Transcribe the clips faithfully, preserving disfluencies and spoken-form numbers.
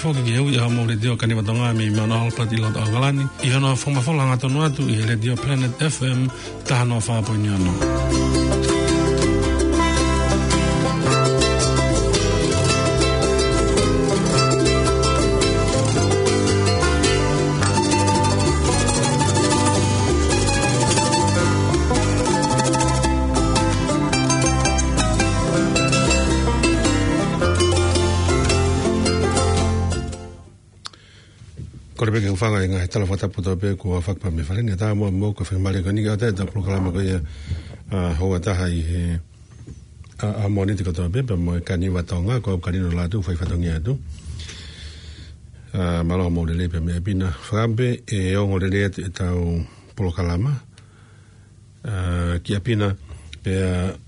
Ko e kiʻi ui ʻa e Mō Letiō Kaniva Tonga mei Mount Albert ʻi loto ʻAokalani, ʻi hono fakamatala hangatonu atu ʻi he Letiō Planet F M taha noa fā poini ono. Kole pē ke u hūfanga he ngaahi tala fakatapu kotoa pē kuo fakapā mei fale ni. Tau mo, mo ko e fakamolemole ko eni ka ʻoku ʻi ai ʻetau polokalama ko ia, ʻa, houa taha ʻi he, ʻa, ʻa Mōnite kotoa pē, pea mo e Kaniva Tonga, ko au Kalino Lātū, fai fatongia atu. ʻA, mālō mo lelei pē mei ʻapi na. Fakaʻamu pē ʻe ongo lelei atu ʻetau polokalama. ʻA, ki ʻapi na, pea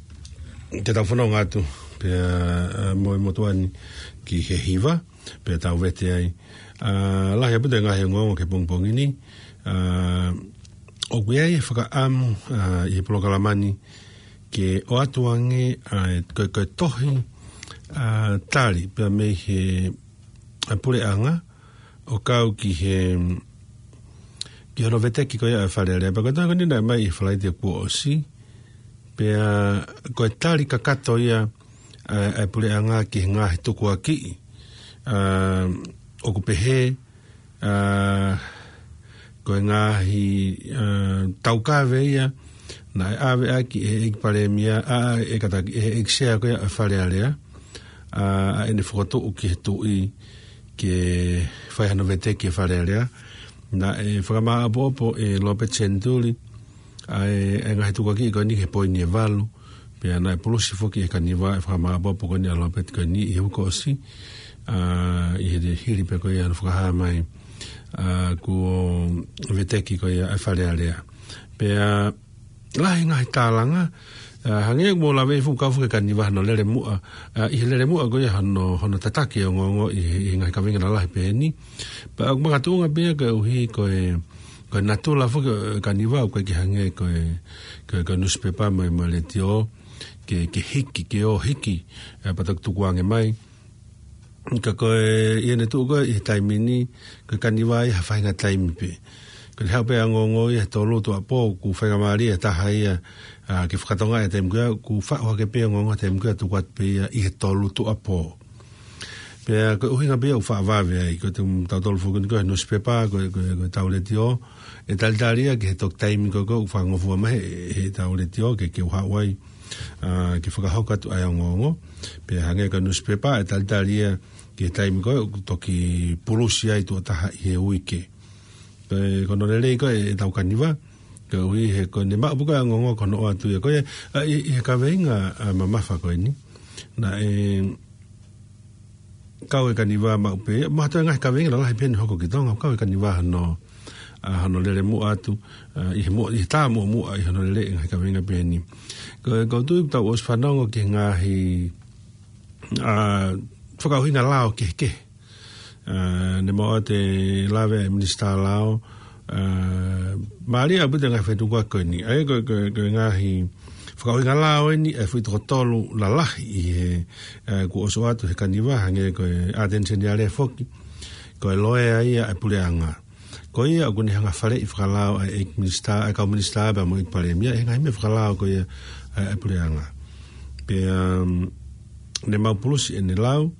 te tau fononga atu, pea, ʻa, mo e motuʻa ni ki he hiva, pea tau vete ai. ʻA, lahi ʻaupito e ngaahi ongoongo ki he pongipongi ni, ʻa, ʻoku ʻi ai e fakaʻamu, ʻa, ʻi he polokalama ni ke ʻoatu ange, ʻa, e, ko e, ko e tohi, ʻa, tali, pea mei he, ʻa, puleʻanga, ʻo kau ki he, ki hono veteki ko ia ʻa e Fale Alea. Pea ko e tohi ko eni naʻe ʻomai ʻi he Falaite kuo ʻosi. Pea ko e tali kakato ia ʻa, ʻa e puleʻanga ki he ngaahi tukuakiʻi, ʻa, ʻoku pehē, ʻa, ko e ngaahi, ʻa, taukave ia naʻe ʻave ʻaki ʻe he ʻEiki Palēmia, ʻa, ʻe kātaki, ʻe he ʻEiki Sea ko ia ʻa e Fale Alea, ʻa, ʻa ʻene fokotuʻu ki he Tuʻi ke fai hano veteki e Fale Alea. Naʻe fakamāʻopoʻopo ʻe Lopeti Senituli ʻa e, ʻa e ngaahi tukuakiʻi ko eni he poini ʻe valu. Pea naʻe pulusi foki ʻe he Kaniva e fakamāʻopoʻopo ko eni ʻa Lopeti ko eni ʻi he uike kuo ʻosi, ʻa, ʻi he hili pē ko ia hono fakahā mai, ʻa, kuo veteki ko ia ʻa e Fale Alea. Pea lahi ngaahi tālanga, ʻa, hangē ʻoku mou lave fuʻu kau foki e Kaniva hono lele muʻa, ʻa, ʻi he lele muʻa ko ia hono, hono tataki e ongoongo ʻi he, ʻi he ngaahi kaveinga lalahi pehē ni. Pea ʻoku makatuʻunga pē ia koeʻuhi ko e, ko e natula foki ʻo e Kaniva ʻoku ʻikai ke hangē ko e, ko e, ko e nusipepa mo e, mo e letiō, ke, ke hiki, ke ō hiki, ʻa, pea toki tukuange mai. Ka ko e, ʻi heʻene tuʻu ko ē ʻi he taimi ni, ko e Kaniva ʻi ha faʻahinga taimi pē. Ko ʻene haʻu pē ʻa e ongoongo ʻi he tolu tuʻuapō, ʻoku faingamālie ʻa e taha ia, ʻa, ke fakatokangaʻi e taimi ko ia, ʻoku faʻu hake pē ʻa e ongoongo he taimi ko ia tuku atu pē ia ʻi he tolu tuʻuapō. Pea ko e ʻuhinga pē ia ʻoku faʻa vave ai, ko e tautolu foki ni ko e nusipepa, ko e, ko e, ko e tau letiō, ʻe talitali ia ki he toki taimi ko ē ʻoku fakangofua mai ʻe he, he tau letiō ke, ke u haʻu ai, ʻa, ke fakahoko atu ʻa e ongoongo. Pea hangē ko e nusipepa ʻe talitali ia ki he taimi ko ē ʻoku toki pulusi ai tuʻo taha ʻi he uike. Pea ko hono lelei ko ē ʻetau Kaniva, koeʻuhi he ko ʻene maʻu pē ko ē ʻa e ongoongo ko hono ʻoatu ia ko ē, ʻa, ʻi, ʻi he kaveinga, ʻa, mamafa ko eni. Naʻe kau e Kaniva maʻu pē, mo ha toe ngaahi kaveinga lalahi pē ʻeni hoko ki Tonga, kau e Kaniva hono, ʻa, hono lele muʻa atu, ʻa, ʻi he muʻa, ʻi he tā muʻomuʻa ʻi hono lele e ngaahi kaveinga pehē ni. Ko, ko u tui ʻoku tau ʻosi fanongo ki he ngaahi, ʻa, fakaʻuhinga lao kehekehe. ʻA, ne mau ʻoatu e lave ʻa e Minisitā Lao, ʻa, mālie ʻaupito e ngaahi fetukuaki ko eni. ʻA ia ko, ko, ko e ngaahi fakaʻuhinga lao eni, ʻa e foʻi toko tolu lalahi ʻi he, ʻa, kuo ʻosi ʻoatu he Kaniva, hangē ko e ʻAteni Seniale foki, ko e loea ia ʻa e puleʻanga. Ko ia ʻoku ne hanga ʻo faleʻi fakalao ʻa e ʻEiki Minisitā, ʻa e kau Minisitā pea mo e ʻEiki Palēmia, ʻi he ngaahi meʻa fakalao ko ia ʻa e, ʻa e puleʻanga. Pea, um, ne mau pulusi ʻene lau,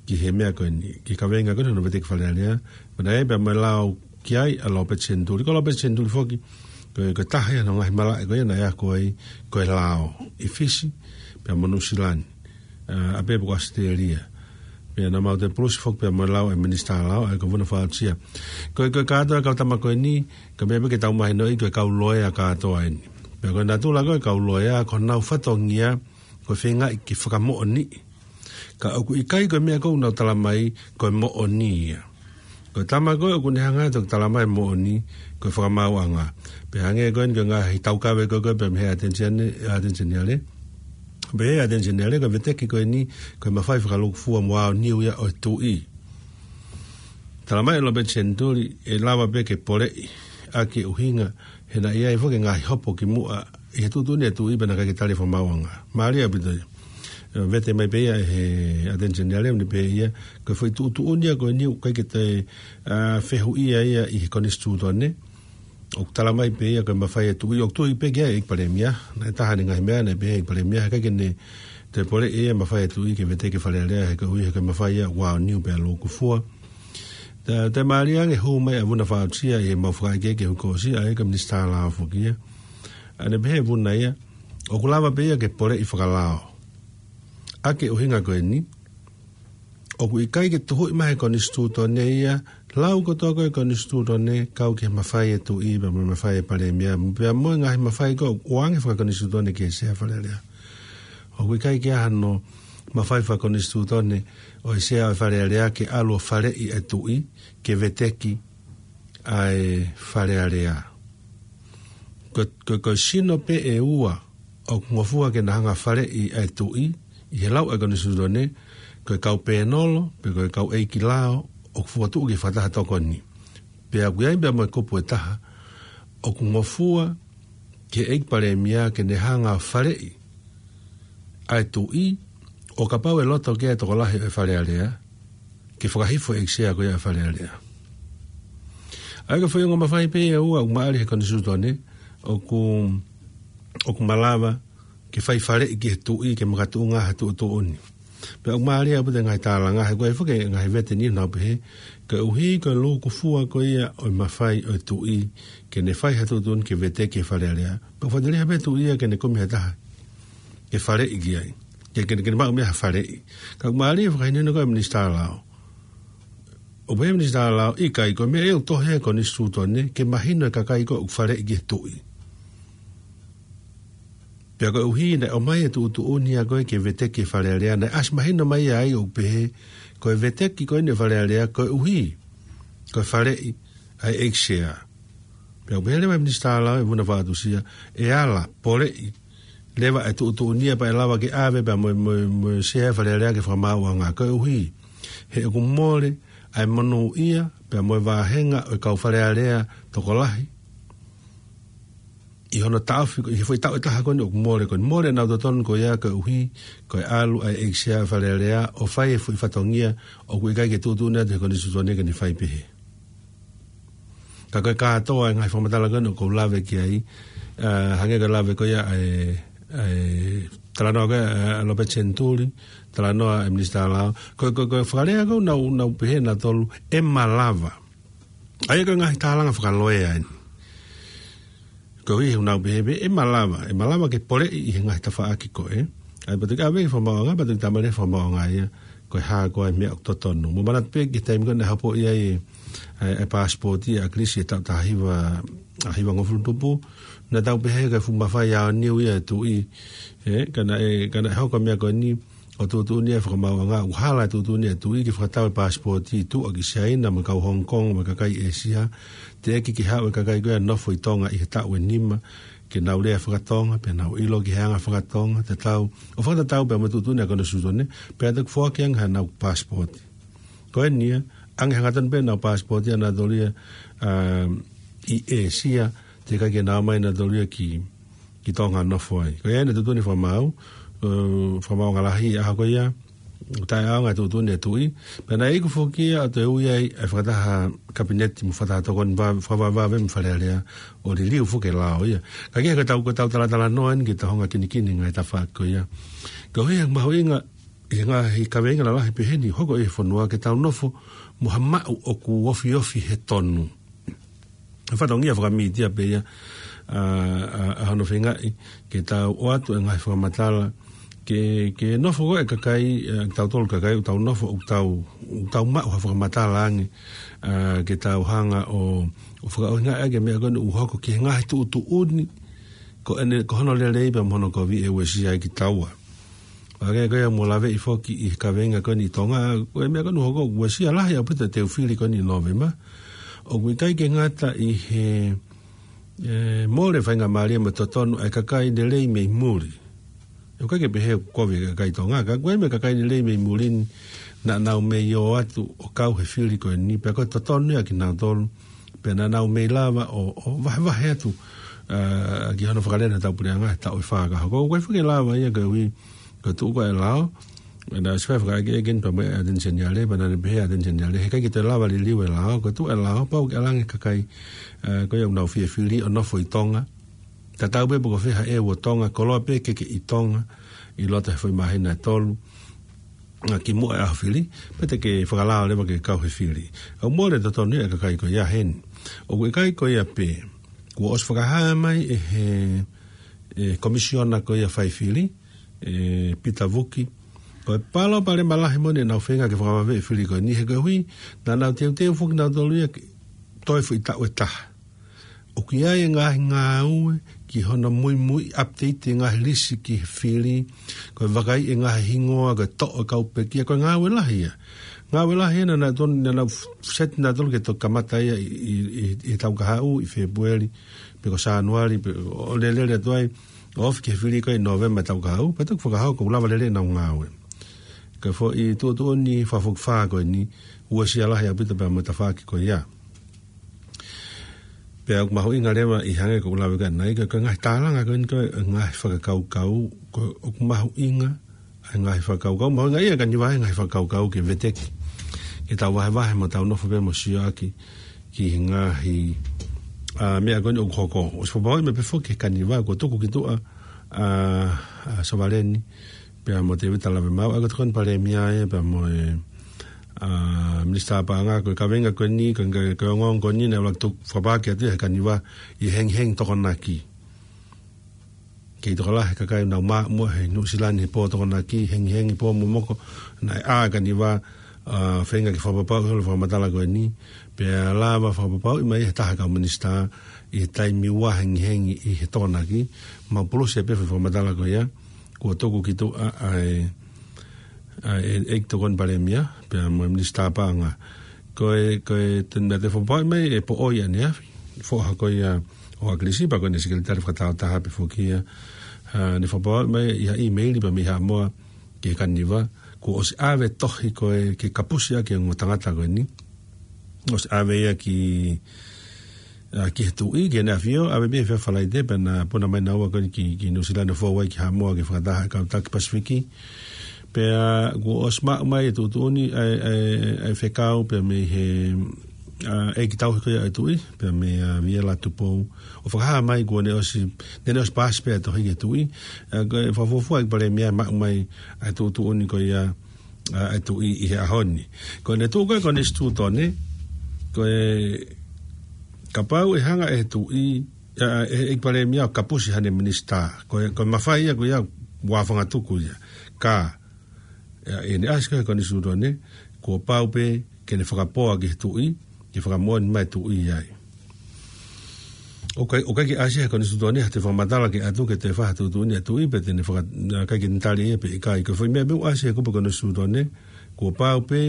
ki he meʻa ko eni, ki he kaveinga ko eni hono veteki Fale Alea, pea naʻe pea mo e lao ki ai ʻa Lopeti Senituli. Ko Lopeti Senituli foki, ko e, ko e taha ia hono ngaahi malaʻe ko ia naʻe ako ai ko e lao ʻi Fisi, pea mo Nuʻusila ni, ʻa, ʻa pea pē ko ʻAositelēlia. Pea naʻa mau toe pulusi foki pea mo e lao ʻa e Minisitā Lao, ʻa ia ko Vuna Fausia. Ko e, ko e kātoa e kau tama ko eni, ko e meʻa pē ke tau mahinoʻi ko e kau loea kātoa eni. Pea ko e natula ko ē e kau loea, ko honau fatongia, ko e feingaʻi ke fakamoʻoniʻi. Ka ʻoku ʻikai ko e meʻa ko ē ʻoku nau tala mai ko e moʻoni ia. Ko e tama ko ē ʻoku ne hanga ʻo toki tala mai moʻoni ko e fakamaauʻanga. Pea hangē ko eni ko e ngaahi taukave ko ē ko ē pea mei he ʻAteni Seniale, ʻAteni Seniale. Pea ʻi he ʻAteni Seniale ko e veteki ko eni ko e mafai fakalūkufua mo aoniu ia ʻo e Tuʻi. Tala mai ʻe Lopeti Senituli ʻe lava pē ke poleʻi ʻaki e ʻuhinga he naʻe ʻi ai foki e ngaahi hopo ki muʻa ʻi he tuʻutuʻuni ʻa e Tuʻi pea naʻe ʻikai ke tali e fakamaauʻanga. Mālie ʻaupito ia. Vete mai pē ia he Attorney General, ne pehē ia, ko e foʻi tuʻutuʻuni ia ko eni ʻoku ʻikai ke toe, ā, fehuʻia ia ʻi he konisitūtone. ʻOku tala mai pē ia ko e mafai e tuʻi, ʻoku tui pē ki ai ʻEiki Palēmia. Naʻe taha ʻene ngaahi meʻa, naʻe pehē ʻEiki Palēmia, he ʻikai ke ne toe poleʻi ia mafai e tuʻi ke veteki e Fale Alea, he koeʻuhi ko e mafai ia ʻoku aoniu pea lūkufua. Toe, toe mālie ange hū mai ʻa Vuna Faʻautusia ʻi heʻemau fakaʻekeʻeke he uike kuo ʻosi, ʻa ia ko e Minisitā Lao foki ia. ʻA ia ne pehē ʻe Vuna ia, ʻoku lava pē ia ke poleʻi fakalao. ʻA ia ko e ʻuhinga ko eni, ʻoku ʻikai ke tuhuʻi mai he konisitūtone ia, lau kotoa ko ē konisitūtone, kau ki he mafai e tuʻi, pea mo e mafai e Palēmia, pea mo e ngaahi mafai ko ē ʻoku ʻoange fakakonisitūtone ki he Sea Fale Alea. ʻOku ʻikai ke ʻi ai hano mafai fakakonisitūtone ʻo e Sea ʻo e Fale Alea ke ʻalu ʻo faleʻi e tuʻi, ke veteki ʻa e Fale Alea. Ko, ko, ko e sino pē ʻe ua ʻoku ngofua ke na hanga ʻo faleʻi ʻa e tuʻi, ʻi he lau ʻa e konisitūtone, ko e kau pēnolo, pe ko e kau ʻeiki lao, ʻoku fokotuʻu ke fakataha tokoni. Pea ʻoku ʻi ai pea mo e kupu ʻe taha, ʻoku ngofua ki he ʻEiki Palēmia ke ne hanga ʻo faleʻi ʻa e tuʻi, ʻo kapau ʻe loto ki ai e tokolahi ʻo e Fale Alea, ke fakahifo e ʻEiki Sea ko ia ʻo e Fale Alea. ʻA ia ko e foʻi ongo mafai pē ia ʻe ua ʻoku maʻali he konisitūtone, ʻoku, ʻoku malava ke fai faleʻi ki he tuʻi ke makatuʻunga ha tuʻutuʻuni. Pea ʻoku mālie ʻaupito e ngaahi tālanga, he ko e foki e ngaahi vete ni ʻoku nau pehē, koeʻuhi ko e lūkufua ko ia ʻo e mafai ʻo e tuʻi, ke ne fai ha tuʻutuʻuni ke veteki e Fale Alea. Pea ʻoku faʻiteliha pē tuʻi ia ke ne kumi ha taha ke faleʻi ki ai. Ke, ke, ke ne maʻu mei ai ha faleʻi. Ka ʻoku mālie e fakahinohino ko ē ʻa e Minisitā Lao. ʻOku pehē ʻe he Minisitā Lao, ʻikai, ko e meʻa ia ʻoku tohi he konisitūtone, ke mahino e kakai ko ē ʻoku faleʻi ki he tuʻi. Pea koeʻuhi naʻe ʻomai e tuʻutuʻuni ia ko ē ke veteki e Fale Alea, naʻe ʻasi mahino mai ai ʻoku pehē, ko e veteki ko eni e Fale Alea, koeʻuhi ko e faleʻi ʻa e ʻEiki Sea. Pea ʻoku pehē leva ʻe he Minisitā Lao ʻe Vuna Faʻautusia, ʻe ala, poleʻi leva e tuʻutuʻuni ia pea ʻe lava ke ʻave pea mo, mo, mo e Sea e Fale Alea ki he Fakamaauʻanga, koeʻuhi he ʻoku mole ʻa e monūʻia pea mo e vāhenga ʻo e kau Fale Alea tokolahi ʻi hono taʻofi, ʻi he foʻi taʻu ʻe taha ko eni ʻoku mole ko eni, mole ʻenau totonu ko ia koeʻuhi ko e ʻalu ʻa e ʻEiki Sea e Fale Alea ʻo fai e foʻi fatongia ʻoku ʻikai ke tuʻutuʻuni atu he konisitūtone ke ne fai pehē. Ka ko e kātoa e ngaahi fakamatala ko eni ʻoku ou lave ki ai, ā, hangē ko e lave ko ia ʻa e, ʻa e talanoa ko ia ʻa Lopeti Senituli, talanoa ʻa e Minisitā Lao. Ko, ko, ko e fakalea ko ē ʻoku nau, nau pehē nautolu, ʻe malava. ʻA ia ko e ngaahi tālanga fakaloea eni. Koeʻuhi he ʻoku nau pehē pē, ʻe malava, ʻe malava ke poleʻi ʻi he ngaahi tafaʻaki ko ē. ʻA ia pea toki ʻave ki he Fakamaauʻanga, pea toki talamai ʻe he Fakamaauʻanga ia, ko e hā koā e meʻa ʻoku totonu. Mou manatu pē ki he taimi ko ē naʻe hapo ai e, e, e paasipooti ʻa ʻAkilisi he taʻu taha hiva, ʻa, hivangofulu tupu. Naʻa tau pehē ko e fuʻu mafai aoniu ia e tuʻi. Ē, ka naʻe, ka naʻe hoko e meʻa ko eni, ʻo tuʻutuʻuni ʻe he Fakamaauʻanga, ʻoku hala e tuʻutuʻuni ʻa e tuʻi ke fakatau e paasipooti tuʻa ki Siaina mo e kau Hong Kong mo e kakai ʻĒsia, teʻeki ke haʻu e kakai ko ia ʻo nofo ʻi Tonga ʻi he taʻu ʻe nima, ke nau lea faka-Tonga, pea nau ʻilo ki he anga faka-Tonga, tatau, ʻo fakatatau pea mo e tuʻutuʻuni ʻa e konisitūtone, pea toki foaki ange haʻanau paasipooti. Ko eni ia, ange hangatonu pē ʻenau paasipooti ʻanautolu ia, ā, ʻi ʻĒsia, teʻeki ai ke nau ō mai ʻanautolu ia ki, ki Tonga ʻo nofo ai. Ko ia naʻe tuʻutuʻuni ʻe he Fakamaau, ē, Fakamaauʻanga Lahi ʻi he ʻaho ko ia, ʻo taʻeʻaonga e tuʻutuʻuni ʻa e tuʻi. Pea naʻe iku foki ia ʻo toe ui ai ʻa e fakataha Kapineti mo e fakataha tokoni va-, fakavavevave mo e Fale Alea ʻo liliu foki e lao ia. Ka ko e hā ko ʻetau, ko ʻetau talatalanoa eni ki he taʻu hongofulu kinikini ngaahi tafaʻaki ko ia. Koeʻuhi he mahuʻinga, ʻi he ngaahi kaveinga lalahi pehē ni, hoko ʻi he fonua ke tau nofo mo ha maʻu ʻoku ofiofi he tonu. Fatongia fakamītia pē ia, ā, ā, ʻa hono feingaʻi ke tau ʻoatu e ngaahi fakamatala, ke, ke nofo ko ē kakai, ā, tautolu kakai, ʻoku tau nofo, ʻoku tau, ʻoku tau maʻu ha fakamatala ange, ā, ke tau hanga ʻo, ʻo fakaʻuhingaʻi ʻaki e meʻa ko eni ʻoku hoko ki he ngaahi tuʻutuʻuni, ko ʻene, ko hono lelei pea mo hono kovi ʻe uesia ai kitaua. ʻA ia ko ia mou laveʻi foki ʻi he kaveinga ko eni ʻi Tonga, ko e meʻa ko eni ʻoku hoko, uesia lahi ʻaupito e teu fili ko eni ʻi Nōvema. ʻOku ʻikai ke ngata ʻi he, ē, mole faingamālie mo e totonu ʻa e kakai lelei mei muli. ʻOku ʻikai ke pehē ʻoku kovi e kakai Tonga, ka ko e meʻa kakai lelei mei muli ni naʻa nau mei ō atu ʻo kau he fili ko eni, pea ko e totonu ia kinautolu, pea naʻa nau mei lava ʻo, ʻo vahevahe atu, ā, ki hono fakalea ʻetau puleʻanga he taʻu ʻe fā ka hoko. ʻOku ʻikai foki lava ia koeʻuhi Ko e tuʻu ko ē e lao, naʻe ʻosi fai fakaʻekeʻeke eni pea mo e ʻAteni Seniale, pea naʻa ne pehē ʻe he ʻAteni Seniale, heʻikai ke toe lava liliu e lao, ko e tuʻu e lao, pau ke ʻalu ange e kakai, ē, ko ia ʻoku nau fie fili ʻo nofo ʻi Tonga. Tatau pē pe ko fē ha ʻeu ʻo Tonga, koloa pē ke ke ʻi Tonga, ʻi loto he foʻi māhina ʻe tolu, ʻa, kimuʻa e ʻaho fili, pea te ke fakalao leva ke kau he fili. ʻOku mole e totonu ia ʻa e kakai ko ia heni. ʻOku ʻikai ko ia pē, kuo ʻosi fakahā mai ʻe he, ʻe he komisiona ko ia fai fili, ʻe Pita Vuki, ko e palopalema lahi moʻoni ʻenau feinga ke fakavaveʻi e fili ko eni he koeʻuhi, naʻa nau teuteu foki nautolu ia ke toe foʻi taʻu ʻe taha. ʻOku ʻi ai e ngaahi ngāue ki hono muimui, update e ngaahi lisi ki he fili, ko e vakaiʻi e ngaahi hingoa, ko e toʻo e kau pekia, ko e ngāue lahi ia. Ngāue lahi ia naʻa nau tonu, naʻa nau set nautolu ke toki kamata ia ʻi, ʻi, ʻi, ʻi he taʻu kahaʻu, ʻi Fēpueli, pe ko Sānuali, pe ʻo lele atu ai, ʻo ofi ki he fili ko ē ʻi Nōvema taʻu kahaʻu, pea toki fakahā kuo lava lelei ʻenau ngāue. Ka ko e foʻi tuʻutuʻuni fakafokifā ko eni, uesia lahi ʻaupito pea mo e tafaʻaki ko ia. Pea ʻoku mahuʻinga leva ʻi he hangē ko ʻeku lave ko ē ʻanenai, ko e, ko e ngaahi tālanga ko eni ko e ngaahi fakakaukau, ko e ʻoku mahuʻinga, ʻa e ngaahi fakakaukau, mahuʻinga ia ʻa e kaniva he ngaahi fakakaukau ke veteki. Ke tau vahevahe mo tau nofo pē mo sio ʻaki ki he ngaahi, ʻa, meʻa ko eni ʻoku hoko. ʻOsi fakapapauʻi mai pē foki ʻe he kaniva, kuo tuku ki tuʻa, ʻa, ʻa Sovaleni, pea mo Tēvita Lavemaau, ʻa ia ko e Tokoni Palēmia ē, pea mo e, ʻa, Minisitā Paʻanga, ko e kaveinga ko eni, ko e, ko e ongoongo ko eni, naʻe ʻuluaki tuku fakapāki atu ia ʻe he kaniva ʻi he hengihengi Tokonaki. Kei tokolahi e kakai naʻa nau maʻu muʻa he Nuʻusila ni he pō Tokonaki, hengihengi pō momoko, naʻe ʻā e kaniva, ʻa, feinga ke fakapapauʻi holo e fakamatala ko eni, pea lava fakapapauʻi mai ʻe he taha e kau minisitā ʻi he taimi ua hengihengi ʻi he Tokonaki, mau pulusi pē foʻi fakamatala ko ia, kuo tuku ki tuʻa ʻa e, ʻa e, ʻEiki Tokoni Palēmia, pea mo e Minisitā Paʻanga. Ko e, ko e, te, naʻa te fakapapauʻi mai ʻe Poʻoi ʻaneafi, foha ko ia ʻo ʻAkilisi, pea ko ʻene sekelitali fakatāutaha pē foki ia, ʻa, ne fakapapauʻi mai ʻi ha ʻīmeili pea mei Haʻamoa ki he kaniva, kuo ʻosi ʻave e tohi ko ē ke kapusi ʻaki e ongo tangata ko eni. ʻOsi ʻave ia ki, ʻa, ki he Tuʻi, ki heʻene ʻafio, ʻave pē he efiafi Falaite, pea na puna mai naua ko eni ki, ki Nuʻusila ni ʻo fou ai ki Haʻamoa ke fakataha e kau taki Pasifiki. Pea kuo ʻosi maʻu mai e tuʻutuʻuni ʻa e, ʻa e, ʻa e fekau pea mei he, ʻa, ʻeiki tauhi ko ia ʻo e Tuʻi, pea mei, ʻa, Viela Tupou. ʻO fakahā mai kuo ne ʻosi, ne, ne ʻosi paasi pē e tohi ki he Tuʻi. ʻA, ko e fakafuofua ʻEiki Palēmia maʻu mai ʻa e tuʻutuʻuni ko ia, ʻa, ʻa e Tuʻi ʻi he ʻaho ni. Ko ʻene tuʻu ko ē Konisitūtone, ko e kapau ʻe hanga ʻe he Tuʻi, ʻa, ʻe he ʻEiki Palēmia ʻo kapusi haʻane minisitā. Ko e, ko e mafai ia ko ia ua fanga tuku ia. Ka, ʻa, ʻi heʻene ʻasi ko ē he Konisitūtone, kuo pau pē ke ne fakapoa ki he Tuʻi, ke fakamoʻoni mai e Tuʻi ai. ʻOku ʻikai, ʻoku ʻikai ke ʻasi he Konisitūtone ha toe fakamatala ke ʻatu ke toe fai ha tuʻutuʻuni ʻa e Tuʻi pe te ne faka-, ʻa, ʻikai ke ne tali ia pe ʻikai. Ko e foʻi meʻa pē ʻoku ʻasi he kupu Konisitūtone, kuo pau pē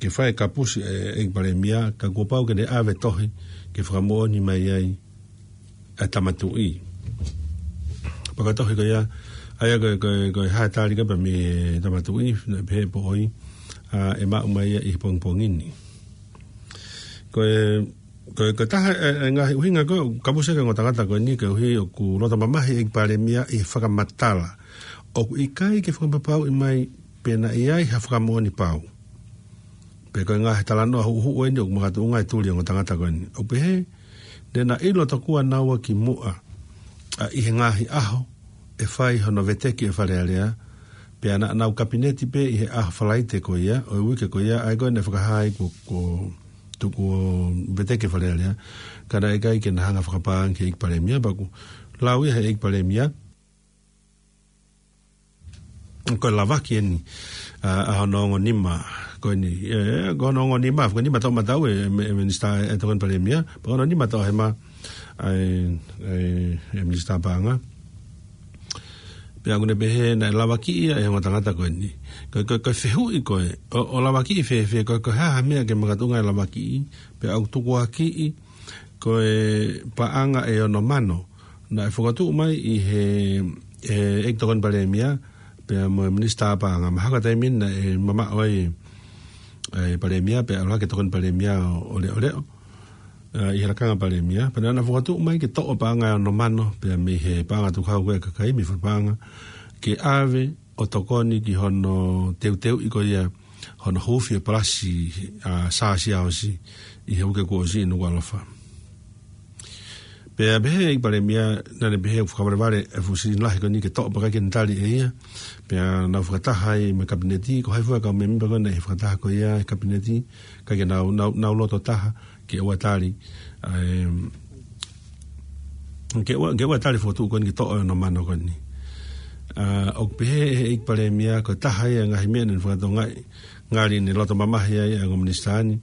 ke fai e kapusi ʻe, ʻEiki Palēmia, ka kuo pau ke ne ʻave e tohi ke fakamoʻoni mai ai ʻa e Tama Tuʻi. Pea ko e tohi ko ia, ʻa ia ko e, ko e, ko e hā e tali ko ē pea mei he Tama Tuʻi, naʻe pehē ʻe Poʻoi, ʻa, ʻe maʻu mai ia ʻi he pongipongi ni. Ko e, ko e, ko e taha e, e ngaahi ʻuhinga ko ē ʻoku kapusi ʻaki e ongo tangata ko eni koeʻuhi ʻoku loto mamahi e ʻEiki Palēmia ʻi he fakamatala. ʻOku ʻikai ke fakapapauʻi mai pe naʻe ʻi ai ha fakamoʻoni pau. Pe ko e ngaahi talanoa huʻuhuʻu eni ʻoku makatuʻunga e tuli e ongo tangata ko eni. ʻOku pehē, ne na ʻilo tokua naua kimuʻa, ʻa, ʻi he ngaahi ʻaho ʻe fai hono veteki ʻe he Fale Alea, pea naʻa nau kapineti pē ʻi he ʻaho Falaite ko ia ʻo e uike ko ia, ʻa ia ko ē naʻe fakahā ai kuo, kuo tuku ʻo veteki ʻe he Fale Alea, ka naʻe ʻikai ke na hanga ʻo fakapālangi ki he ʻEiki Palēmia, pea ʻoku lau ia ʻe he ʻEiki Palēmia, ko e lavaki eni, ʻa, ʻa hono ongo nima ko eni, ē, ko hono ongo nima, ko e nima toʻomataʻu e, e, e Minisitā ʻe Tokoni Palēmia, pea ko hono nima toʻohema ʻa e, e, e Minisitā Paʻanga. Pea ʻoku ne pehē naʻe lavakiʻi ia ʻe he ongo tangata ko eni. Ko, ko, ko e fehuʻi ko ē, ʻo, ʻo lavakiʻi fēfē, ko, ko e hā ha meʻa ke makatuʻunga e lavakiʻi, pea ʻoku tukuakiʻi ko e paʻanga ʻe ono mano, naʻe fokotuʻu mai ʻe he, ʻe he ʻEiki Tokoni Palēmia, pea mo e Minisitā Paʻanga, mahalo ko e taimi ni naʻe mamaʻo ai e Palēmia, pea ʻalu hake e Tokoni Palēmia ʻo, ʻo leʻoleʻo, ʻa, ʻi he lakanga Palēmia, pea naʻa na fokotuʻu mai ke toʻo e paʻanga ʻe ono mano, pea mei he paʻanga tukau ko ē ʻa e kakai, mei he fale paʻanga, ke ʻave ʻo tokoni ki hono teuteuʻi ko ia hono huufi e palasi ʻa Sā Siaosi ʻi he uike kuo ʻosi ʻi Nukuʻalofa. Pea pehē ʻe he ʻEiki Palēmia, naʻa ne pehē ʻoku fakavalevale e fuʻu silini lahi ko eni ke toʻo pea ʻikai ke ne tali ʻe ia. Pea nau fakataha ai mo e Kapineti, ko hai fua e kau mēmipa ko ē naʻe ʻi he fakataha ko ia he Kapineti, ʻikai ke nau, nau, nau loto taha ke ʻoua tali, ʻa e, ke ʻoua, ke ʻoua tali e fokotuʻu ko eni ke toʻo e ongo mano ko eni. ʻA, ʻoku pehē ʻe he ʻEiki Palēmia, ko e taha ia e ngaahi meʻa naʻa ne fakatokangaʻi, ngali ne loto mamahi ai ʻa e ongo minisitā ni,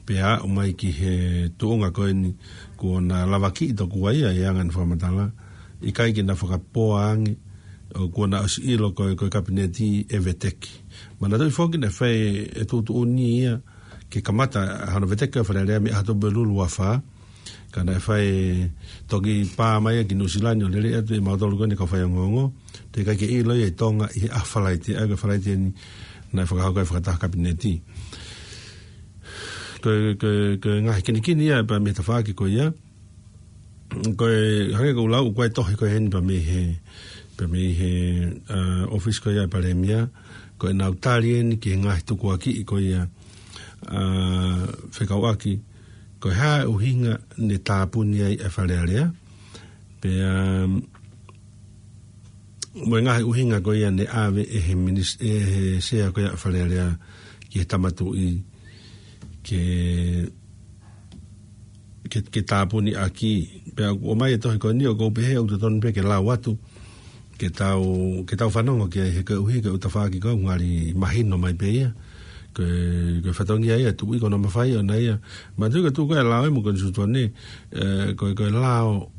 pea aʻu mai ki he tuʻunga ko eni kuo na lavakiʻi tokua ia ʻi he anga ʻene fakamatala, ʻikai ke na fakapoa ange, ʻo kuo na ʻosi ʻilo ko e, ko e Kapineti ʻe veteki. Manatuʻi foki naʻe fai e tuʻutuʻuni ia ke kamata hono veteki ʻo e Fale Alea mei he ʻaho tolu ʻo Lulu ua fā, ka naʻe fai, toki pā mai ia ki Nuʻusila ni ʻo lele atu ʻe mautolu ko eni kau faiongoongo, teʻeki ai ke ʻilo ia ʻi Tonga ʻi he ʻaho Falaite, ʻa ia ko e Falaite ni naʻe fakahoko ai e fakataha Kapineti. Ko e, ko e, ko e ngaahi kinikini ia pea mei he tafaʻaki ko ia. Ko e, hangē ko ʻeku lau, ʻoku ʻi ai e tohi ko eni pea mei he, pea mei he, ʻa, ʻōfisi ko ia ʻa e Palēmia, ko ʻenau tali eni ki he ngaahi tukuakiʻi ko ia, ʻa, fekauʻaki, ko e hā e ʻuhinga ne tāpuni ai e Fale Alea, pea, um, mo e ngaahi ʻuhinga ko ia ne ʻave ʻe he minis-, ʻe he Sea ko ia ʻa e Fale Alea ki he Tama Tuʻi ke, ke, ke tāpuni ʻaki. Pea ʻoku ʻomai e tohi ko eni ʻoku ou pehē ʻoku totonu pē ke lau atu, ke tau, ke tau fanongo ki ai he koeʻuhi ko e tafaʻaki ko ē ʻoku ngali mahino mai pē ia. Ko e, ko e fatongia ia e tuʻi ko hono mafai ʻona ia. Manatuʻi ko e tuʻu ko ē ʻa e lao ia mo e konisitūtone, ʻe, ko e, ko e lao,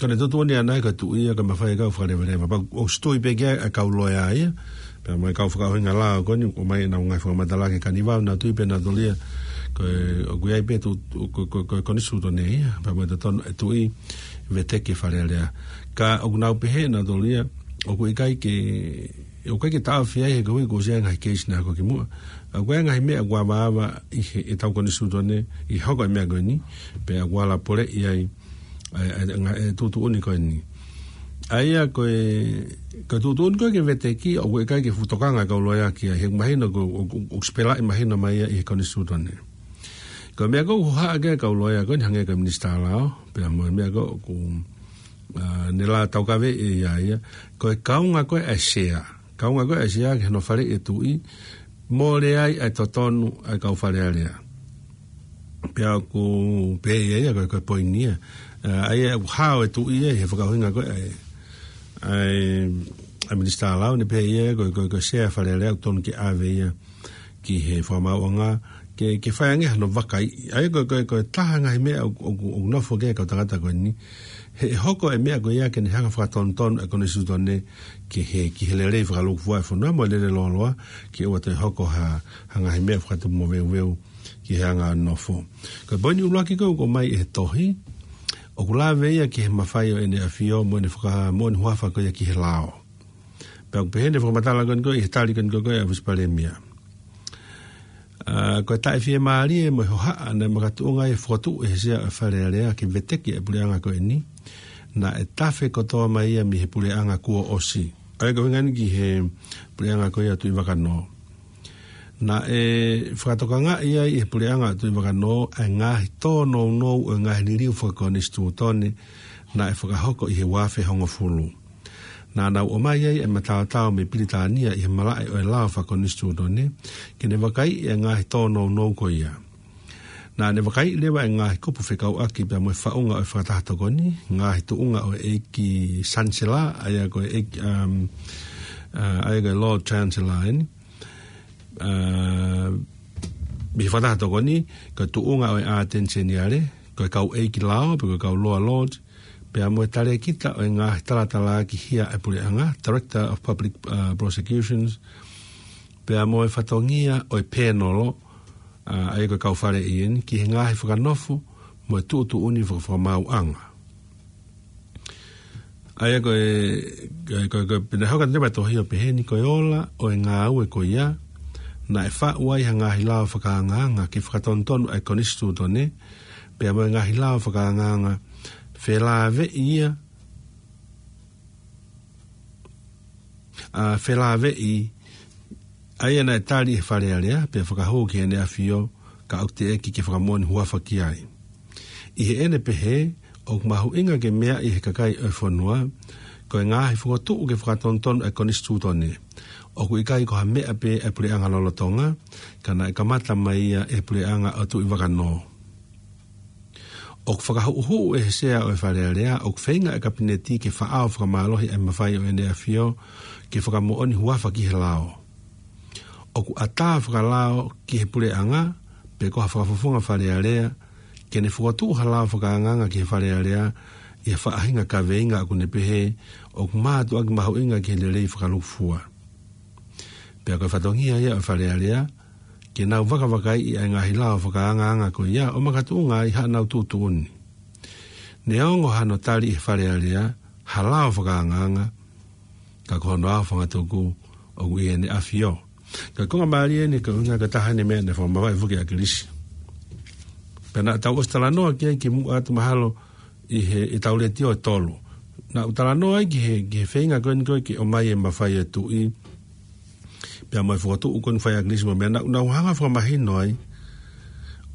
ko ʻene tuʻutuʻuni ʻana ia ko e tuʻi ia ko e mafai e kau fakaleveleva. Pea ʻoku ʻosi tui pē ki ai e kau loea ia, pea mo e kau fakaʻuhinga lao ko eni, ʻoku ʻomai ʻenau ngaahi fakamatala ki he kanivau, nau tui pē nautolu ia ko e, ʻoku ʻi ai pē tu, ko, ko, ko e konisitūtone ia, pea mo e totonu e tuʻi veteki e Fale Alea. Ka ʻoku nau pehē nautolu ia, ʻoku ʻikai ke, ʻoku ʻikai ke taʻofi ai he koeʻuhi kuo ʻosi ʻi ai e ngaahi keisi naʻe hoko kimuʻa. ʻOku ʻi ai e ngaahi meʻa kuo avaava ʻi he, ʻetau konisitūtone, ʻi he hoko e meʻa ko eni, pea ʻoku ala poleʻi ai ʻa e, ʻa e, ʻa e tuʻutuʻuni ko eni. ʻA ia ko e, ko e tuʻutuʻuni ko ē ke veteki, ʻoku ʻikai ke fuʻu tokanga e kau loea ki ai, he mahino ko, ʻo, ʻo, ʻoku sipelaʻi mahino mai ia ʻi he konisitūtone. Ko e meʻa ko ē ʻoku hohaʻa ki ai e kau loea ko eni hangē ko e Minisitā Lao, pea mo e meʻa ko ē ʻoku, ʻa, ne la taukaveʻi ʻe ia ia. Ko e kaunga ko ē ʻa e Sea, kaunga ko ē ʻa e Sea ki hono faleʻi e tuʻi, mole ai ʻa e totonu ʻa e kau Fale Alea. Pea ʻoku pehē ʻe ia ia ko e, ko e poini ia. ʻA, ʻa ia ʻoku hao e tuʻi ia he fakaʻuhinga ko ē ʻa e, ʻa e, ʻa e Minisitā Lao, ne pehē ʻe ia ko e, ko e, ko e Sea Fale Alea ʻoku tonu ke ʻave ia ki he Fakamaauʻanga, ke, ke fai ange hano vakaiʻi. ʻA ia ko e, ko e, ko e taha e ngaahi meʻa ʻoku, ʻoku, ʻoku nofo ki ai e kau tangata ko eni. He ʻe hoko e meʻa ko ia ke ne hanga ʻo fakatonutonu e konisitūtone ki he, ki he lelei fakalūkufua e fonua mo e lele lōloa, ke ʻoua toe hoko ha, ha ngaahi meʻa fakatupu moveuveu ki he anga e nofo. Ko e poini ʻuluaki ko ē ʻoku ʻomai ʻe he tohi, ʻoku lave ia ki he mafai ʻo ʻEne ʻAfio mo ʻene faka-, mo ʻene huafa ko ia ki he lao. Pea ʻoku pehē ʻene fakamatala ko eni ko ē ʻi he tali ko eni ko ē ʻa e ʻŌfisi Palēmia. ʻA, ko e taʻefiemālie mo e hohaʻa naʻe makatuʻunga ai e fokotuʻu ʻe he Sea ʻo e Fale Alea ke veteki e puleʻanga ko eni, naʻe tafe kotoa mai ia mei he puleʻanga kuo ʻosi. ʻA ia ko e ʻuhinga eni ki he puleʻanga ko ia ʻo Tuʻivakanō. Naʻe fakatokangaʻi ai ʻe he puleʻanga ʻo Tuʻivakanō ʻa e ngaahi tōnounou ʻo e ngaahi liliu fakakonisitūtone naʻe fakahoko ʻi he ua afe hongofulu. Naʻa nau ʻomai ai e mataotao mei Pilitānia ʻi he malaʻe ʻo e lao fakakonisitūtone, ke ne vakaiʻi e ngaahi tōnounou ko ia. Naʻa ne vakaiʻi leva e ngaahi kupu fekauʻaki pea mo e faʻunga ʻo e fakataha tokoni, ngaahi tuʻunga ʻo e ʻEiki Sanisela, ʻa ia ko e ʻEiki, um, ʻa, ʻa ia ko e Lord Chancellor eni. ʻA, mei he fakataha tokoni, ko e tuʻunga ʻo e ʻAteni Seniale, ko e kau ʻeiki lao, pe ko e kau Lower Lords, pea mo e talēkita ʻo e ngaahi talatalaaki hia ʻa e puleʻanga, Director of Public, uh, Prosecutions, pea mo e fatongia ʻo e pēnolo, ʻa, ʻa ia ko e kau faleʻi eni, ki he ngaahi fakanofo mo e tuʻutuʻuni faka-, fakamaauʻanga. ʻA ia ko e, ko e, ko e, ko e, pea naʻe hoko atu leva e tohi ʻo pehē ni, ko e ola ʻo e ngāue ko ia, naʻe faʻu ai ha ngaahi lao fakaangaanga ke fakatonutonu ʻa e konisitūtone, pea mo e ngaahi lao fakaangaanga felāveʻi ia ʻa Felāveʻi, ʻa ia naʻe tali ʻe he Fale Alea, pea fakahū ki heʻene ʻafio, ka ʻoku teʻeki ke fakamoʻoni huafa ki ai. ʻI heʻene pehē, ʻoku mahuʻinga ke meaʻi ʻe he kakai ʻo e fonua, ko e ngaahi fokotuʻu ke fakatonutonu ʻa e Konisitūtone. ʻOku ʻikai ko ha meʻa pē ʻa e puleʻanga lolotonga, ka naʻe kamata mai ia ʻe he puleʻanga ʻo Tuʻivakanō. ʻOku fakahuʻuhuʻu ʻe he Sea ʻo e Fale Alea, ʻoku feinga ʻa e Kapineti ke faʻao fakamālohi ʻa e mafai ʻo ʻene ʻafio, ke fakamoʻoni huafa ki he lao. ʻOku ʻatā fakalao ki he puleʻanga, pe ko ha fakafofonga Fale Alea, ke ne fokotuʻu ha lao fakaangaanga ki he Fale Alea, ʻi ha faʻahinga kaveinga ʻoku ne pehē, ʻoku mātuʻaki mahuʻinga ki he lelei fakalūkufua. Pea ko e fatongia ia ʻo e Fale Alea, ke nau vakavakaiʻi ʻa e ngaahi lao fakaangaanga ko ia ʻo makatuʻunga ai haʻanau tuʻutuʻuni. Neongo hano tali ʻe he Fale Alea, ha lao fakaangaanga, ka ko hono aofangatuku ʻoku ʻi heʻene ʻafio. Ka ko e konga mālie eni, ko e ʻuhinga ko e taha eni e meʻa naʻe fakamavahe foki ʻe ʻAkilisi. Pea naʻa tau ʻosi talanoa ki ai kimuʻa atu mahalo ʻi he, ʻi heʻetau letiō ʻe tolu. Naʻa ku talanoa ai ki he, ki he feinga ko eni ko ē ke ʻomai e mafai ʻo e tuʻi. Pea mo e fokotuʻu ko eni fai ʻe ʻAkilisi mo e meʻa naʻa, naʻa ku hanga ʻo fakamahino ai.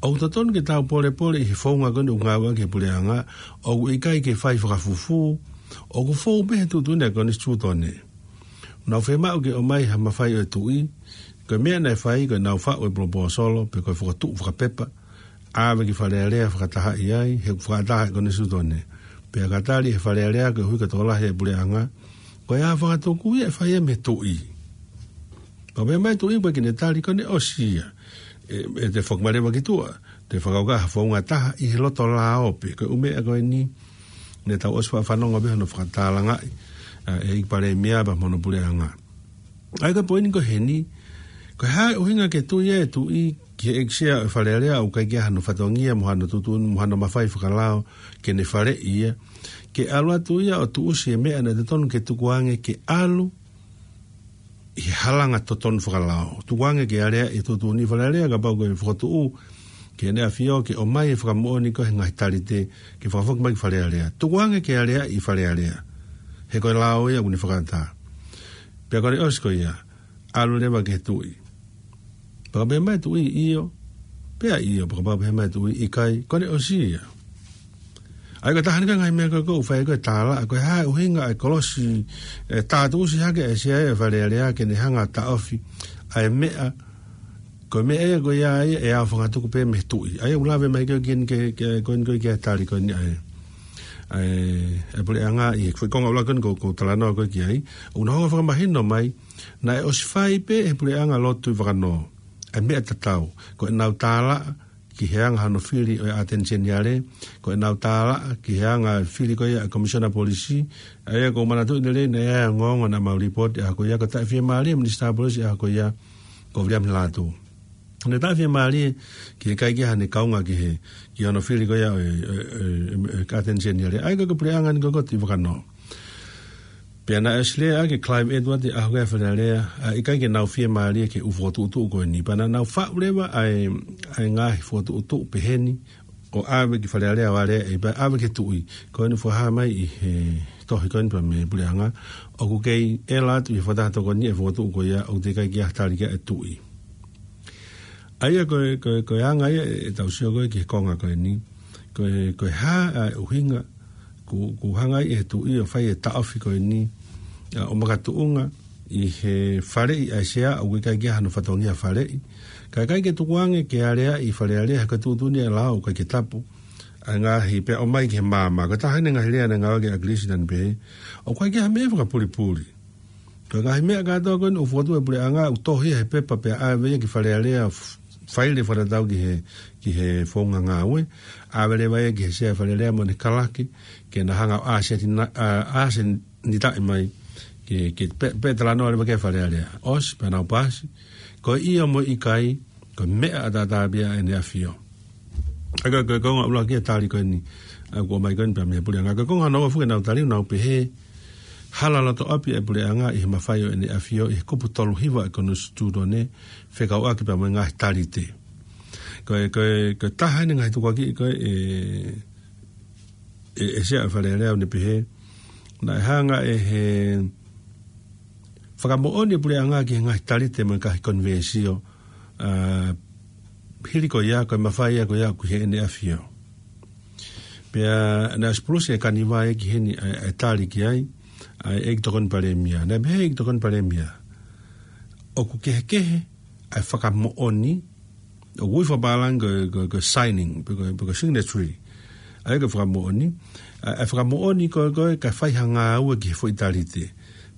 ʻOku totonu ke tau polepole ʻi he founga ko eni ʻoku ngāueʻaki ʻe he puleʻanga, ʻoku ʻikai ke fai fakafufū, ʻoku fou pē he tuʻutuʻuni ʻa e Konisitūtone. Nau fiemaʻu ke ʻomai ha mafai ʻo e tuʻi, ko e meʻa naʻe fai, ko ʻenau faʻu e poloposolo, pe ko e fokotuʻu fakapepa, ʻave ki Fale Alea fakatahaʻi ai, he ʻoku fakataha ʻe he Konisitūtone. Pea ka tali ʻe he Fale Alea koeʻuhi ko e tokolahi e puleʻanga, ko e aofangatuku ia ʻe fai ia mei he tuʻi. Pea pehē mai e tuʻi ʻoku ʻikai ke ne tali, ko ʻene ʻosi ia. ʻE, ʻe toe foki mai leva ki tuʻa, toe fakakaukau ha founga ʻe taha ʻi he loto lao pē, ko e ʻū meʻa ko eni, naʻa tau ʻosi faʻa fanongo pē hono fakatālangaʻi, ʻa, ʻe he ʻEiki Palēmia pea mo hono puleʻanga. ʻA ia ko e poini ko eni, ko e hā e ʻuhinga ke tui e tuʻi ki he ʻEiki Sea ʻo e Fale Alea ʻoku ʻikai ke ʻi ai hano fatongia mo hano tuʻutuʻuni mo hano mafai fakalao ke ne faleʻi ia, ke ʻalu atu ia ʻo tuʻusi e meʻa naʻe totonu ke tukuange ke ʻalu ʻi he halanga totonu fakalao. Tukuange ke aleaʻi e tuʻutuʻuni Fale Alea kapau ko e fokotuʻu ki heʻene ʻafio ke ʻomai e fakamoʻoni ko ē he ngaahi talite ke fakafoki mai ki Fale Alea. Tukuange ke aleaʻi Fale Alea. He ko e lao ia ʻoku ne fakaʻatā. Pea ko ʻene ʻosi ko ia, ʻalu leva ki he tuʻi. Pea pehē mai e tuʻi ʻio, pea ʻio, pea kapau pehē mai e tuʻi ʻikai, ko ʻene ʻosi ia. ʻA ia ko e taha eni ko e ngaahi meʻa ko ē ʻoku fai ko ē tālaʻa, ko e hā e ʻuhinga ʻa e kolosi, ʻe tātuʻusi hake ʻe he Sea ʻo e Fale Alea ke ne hanga ʻo taʻofi ʻa e meʻa, ko e meʻa ia ko ia ia ʻe aofangatuku pē mei he tuʻi. ʻA ia ʻoku lave mai ko ē ki he, ki he, ki he, ko eni ko ē ki he tali ko eni ʻa e, ʻa e, ʻa e puleʻanga ʻi he foʻi konga ʻuluaki ko eni ʻoku, ʻoku talanoa ko ē ki ai. ʻOku nau hanga ʻo fakamahino mai, naʻe ʻosi fai pē ʻe he puleʻanga lotu ʻi Vakanō ʻa e meʻa tatau, ko ʻenau tālaʻa ki he anga hano fili ʻo e ʻAteni Seniale, ko ʻenau tālaʻa ki he anga fili ko ia ʻa e Komisiona Polisi. ʻA ia ʻoku ou manatuʻi lelei naʻe ʻi ai e ongoongo naʻa mau lipooti ʻaho ko ia, ko e taʻefiemālie e Minisitā Polisi ʻaho ko ia, ko Viliami Lātū. Naʻe taʻefiemālie ki he ʻikai ke ʻi ai hano kaunga ki he, ki hono fili ko ia ʻo e, ʻo e, ʻo e, ʻo e ʻAteni Seniale. ʻA ia ko e puleʻanga eni ko ē ʻoku ʻi Vakanō. Pea naʻe ʻosi lea ʻaki ʻe Clive Edwards ʻi he ʻaho ko ē ʻa e Fale Alea, ʻa e ʻikai ke nau fiemālie ki he ʻū fokotuʻutuʻu ko eni. Pea naʻa nau faʻu leva ʻa e, ʻa e ngaahi fokotuʻutuʻu peheni, ʻo ʻave ki Fale Alea ʻo aleaʻi, pea ʻave ki he tuʻi. Ko eni ʻoku fakahā mai ʻi he tohi ko eni pea mei he puleʻanga, ʻoku kei ʻela atu ʻi he fakataha tokoni e fokotuʻu ko ia, ʻoku teʻeki ai ke ʻi ai ha tali ki ai ʻa e tuʻi. ʻA ia ko e, ko e, ko e anga ia ʻetau sio ko ē ki he konga ko eni. Ko e, ko e hā ʻa e ʻuhinga ʻoku, ʻoku hanga ai ʻe he tuʻi ʻo fai e taʻofi ko eni, ʻa, ʻo makatuʻunga ʻi he faleʻi ʻa e Sea ʻoku ʻikai ke ʻi ai hano fatongia faleʻi. Ka ʻikai ke tukuange ke aleaʻi Fale Alea he ko e tuʻutuʻuni ʻa e lao ʻoku ʻikai ke tapu. ʻA e ngaahi pea ʻomai ki he maama. Ko e taha eni e ngaahi lea naʻe ngāueʻaki ʻe ʻAkilisi naʻa ne pehē, ʻoku ʻikai ke ʻi ai ha meʻa fakapolepole. Ko e ngaahi meʻa kātoa ko eni ʻoku fokotuʻu ʻe he puleʻanga ʻoku tohi ia he pepa pea ʻave ia ki Fale Alea f-, faile fakatatau ki he, ki he founga ngāue. ʻAve leva ia ki he Sea Fale Alea mo ʻene kalake, ke na hanga ʻo ʻāseni-, ʻa, ʻāsenitaʻi mai, ke, ke pe-, pea talanoa leva ki ai Fale Alea. ʻOsi, pea nau paasi. Ko e ʻio mo e ʻikai, ko e meʻa ʻataʻatā pē ia ʻa ʻene ʻafio. ʻA ia ko e konga ʻuluaki e tali ko eni, ʻa, ʻoku ʻomai ko eni pea mei he puleʻanga. Ko e konga hono ua foki ʻenau tali, nau pehē, hala loto ʻapi e puleʻanga ʻi he mafai ʻo ʻene ʻafio ʻi he kupu tolu hiva e Konisitūtone, fekauʻaki pea mo e ngaahi talite. Ko e, ko e, ko e taha eni e ngaahi tukuakiʻi ko ē ʻe, ʻe, ʻe he Sea ʻo e Fale Alea ʻo ne pehē, naʻe hanga ʻe he fakamoʻoni e puleʻanga ki he ngaahi talite mo e ngaahi konivēsio, ʻa, hili ko ia, ko e mafai ia ko ia ʻoku ʻi heʻene ʻafio. Pea naʻe ʻosi pulusi e kaniva ia ki heni ʻa e, ʻa e tali ki ai ʻa e ʻEiki Tokoni Palēmia. Naʻe pehē ʻe he ʻEiki Tokoni Palēmia, ʻoku kehekehe ʻa e fakamoʻoni, ʻoku ui fakapālangi ko e, ko e, ko e signing, pe ko e, pe ko e signatory. ʻA ia ko e fakamoʻoni, ʻa e, ʻa e fakamoʻoni ko e, ko e kae fai ha ngāue ki he foʻi talite.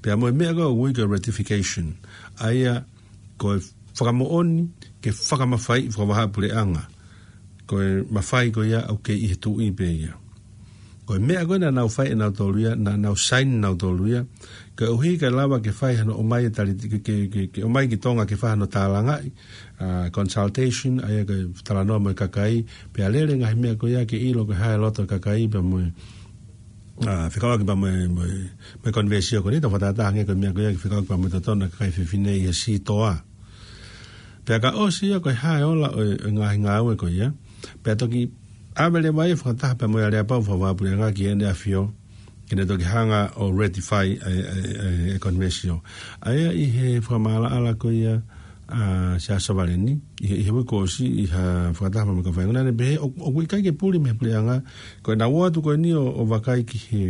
Pea mo e meʻa ko ē ʻoku ui ko e ratification. ʻA ia ko e fakamoʻoni ke fakamafaiʻi fakavahaʻapuleʻanga. Ko e mafai ko ia ʻoku kei ʻi he tuʻi pē ia. Ko e meʻa ko ē naʻa nau fai ʻe nautolu ia, naʻa nau sign nautolu ia, koeʻuhi ke lava ke fai hano ʻomai e talite, ke, ke, ke, ke ʻomai ki Tonga ke fai hano tālangaʻi, ʻa, consultation, ʻa ia ko e talanoa mo e kakai, pea lele ngaahi meʻa ko ia ke ʻilo ko e hā e loto e kakai, pea mo e, ʻa, fekauʻaki pea mo e, mo e, mo e konivēsio ko eni, tau fakatātā ange ko e meʻa ko ia ke fekauʻaki pea mo e totonu e kakai fefine ʻi he sitoa. Pea ka ʻosi ia ko e hā e ola ʻo e, ʻo e ngaahi ngāue ko ia. Pea toki ʻave leva ia fakataha pea mo e aleapau fakavahaʻapuleʻanga ki heʻene ʻafio, ke ne toki hanga ʻo ratify e, e, e, e konivēsio. ʻA ia ʻi he fakamaʻalaʻala ko ia ʻa Siaosi Savaleni, ʻi he, ʻi he uike kuo ʻosi ʻi ha fakataha pea mo e kau faingamālie, naʻa ne pehē ʻo, ʻoku ʻikai ke puli mei he puleʻanga, ko ʻenau ō atu ko eni ʻo, ʻo vakai ki he,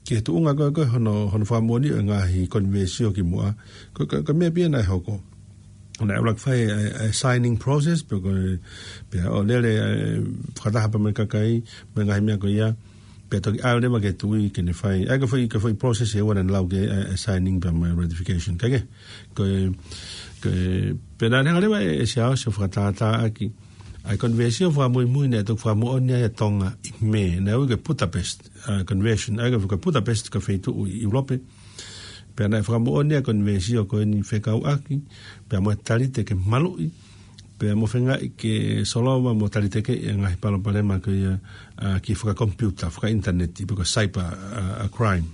ki he tuʻunga ko ē, ko ē hono, hono fakamoʻoni ʻo e ngaahi konivēsio kimuʻa. Ko, ko, ko e meʻa pē ia naʻe hoko. Naʻe ʻuluaki fai e, e, e signing process, pea ko e, pea ʻo lele, e, fakataha pea mo e kakai, mo e ngaahi meʻa ko ia, pea toki ʻave leva ki he tuʻi ke ne fai. ʻA ia ko e foʻi, ko e foʻi process ʻe ua naʻa ne lau ki ai, e, e signing pea mo e ratification. Kae kehe, ko e, ko e, pea naʻa ne hanga leva ʻe, ʻe Siaosi ʻo fakatātāʻaki ʻa e konivēsio fakamuimui naʻe toki fakamoʻoni ai ʻa Tonga ʻi Mē, naʻe ui ko e Budapest, ʻa, Convention, ʻa ia ko e Budapest ko e feituʻu ʻi ʻIulope. Pea naʻe fakamoʻoni ʻa e konivēsio ko eni fekauʻaki pea mo e talite ke maluʻi, pea mo feingaʻi ke solova mo talitekeʻi e ngaahi palopalema ko ia, ʻa, ki he fakakomipiuta, fakaʻinitaneti, pe ko e cyber, ʻa, ʻa, crime.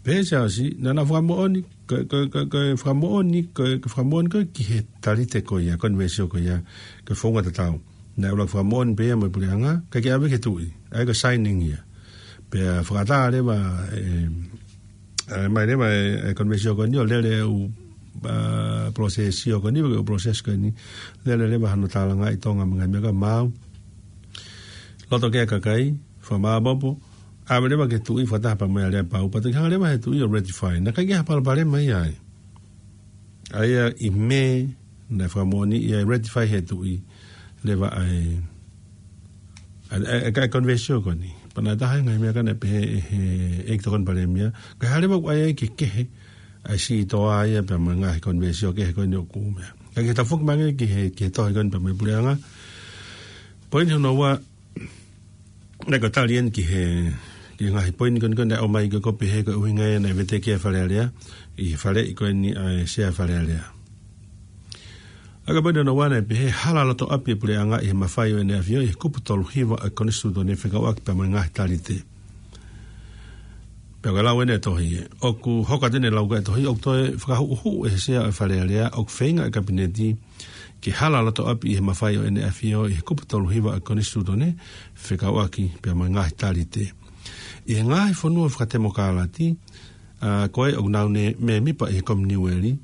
Pea Siaosi, naʻa na fakamoʻoni, ko, ko, ko, ko e fakamoʻoni, ko, ko e fakamoʻoni ko ē ki he talite ko ia, konivēsio ko ia, ko e founga tatau. Naʻe ʻuluaki fakamoʻoni pē ia mo e puleʻanga, kae ʻikai ke ʻave ki he tuʻi, ʻa ia ko e signing ia. Pea fakaʻatā leva, e, e, mai leva e, e konivēsio ko eni ʻo lele ʻū, ʻa, process ko eni, ʻū process ko eni, lele leva hano tālangaʻi ʻi Tonga mo e ngaahi meʻa ko ia maau. Loto ki ai e kakai, fakamāʻopoʻopo, ʻave leva ki he tuʻi fakataha pea mo e aleapau, pea toki hanga leva he tuʻi ʻo ratify. Naʻe ʻikai ke ʻi ai ha palopalema ia ai. ʻA ia ʻi Mē, naʻe fakamoʻoni ia ʻe ratify he tuʻi leva ʻa e, ʻa e, ʻa e, ʻa e konivēsio ko eni. Pea naʻe taha e ngaahi meʻa ko ē naʻe pehē ʻe he, ʻEiki Tokoni Palēmia, ko e hā leva ʻoku ʻi ai e kehekehe ʻa e sitoa ia pea mo e ngaahi konivēsio kehe ko eni ʻoku meʻa. Kae kehe, tau foki mai ange ki he, ki he tohi ko eni pea mo e puleʻanga. Poini hono ua, naʻe ko e tali eni ki he, ki he ngaahi poini ko eni ko ē naʻe ʻomai ko ē, ko e pehē ko e ʻuhinga ia naʻe veteki ai e Fale Alea, ʻi he faleʻi ko eni ʻa e Sea Fale Alea. ʻA ia ko e poini hono ua naʻe pehē, hala loto ʻapi e puleʻanga ʻi he mafai ʻo ʻene ʻafio ʻi he kupu tolu hiva ʻo e Konisitūtone fekauʻaki pea mo e ngaahi talite. Pea ko e lau eni e tohi ē. ʻOku hoko atu eni e lau ko ē e tohi, ʻoku toe fakahuʻuhuʻu ʻe he Sea ʻo e Fale Alea, ʻoku feinga e Kapineti ke hala loto ʻapi ʻi he mafai ʻo ʻene ʻafio ʻi he kupu tolu hiva ʻo e Konisitūtone fekauʻaki pea mo e ngaahi talite. ʻI he ngaahi fonua fakatemokālati, ʻa, ko ē ʻoku nau mēmipa ʻi he Kominiueli,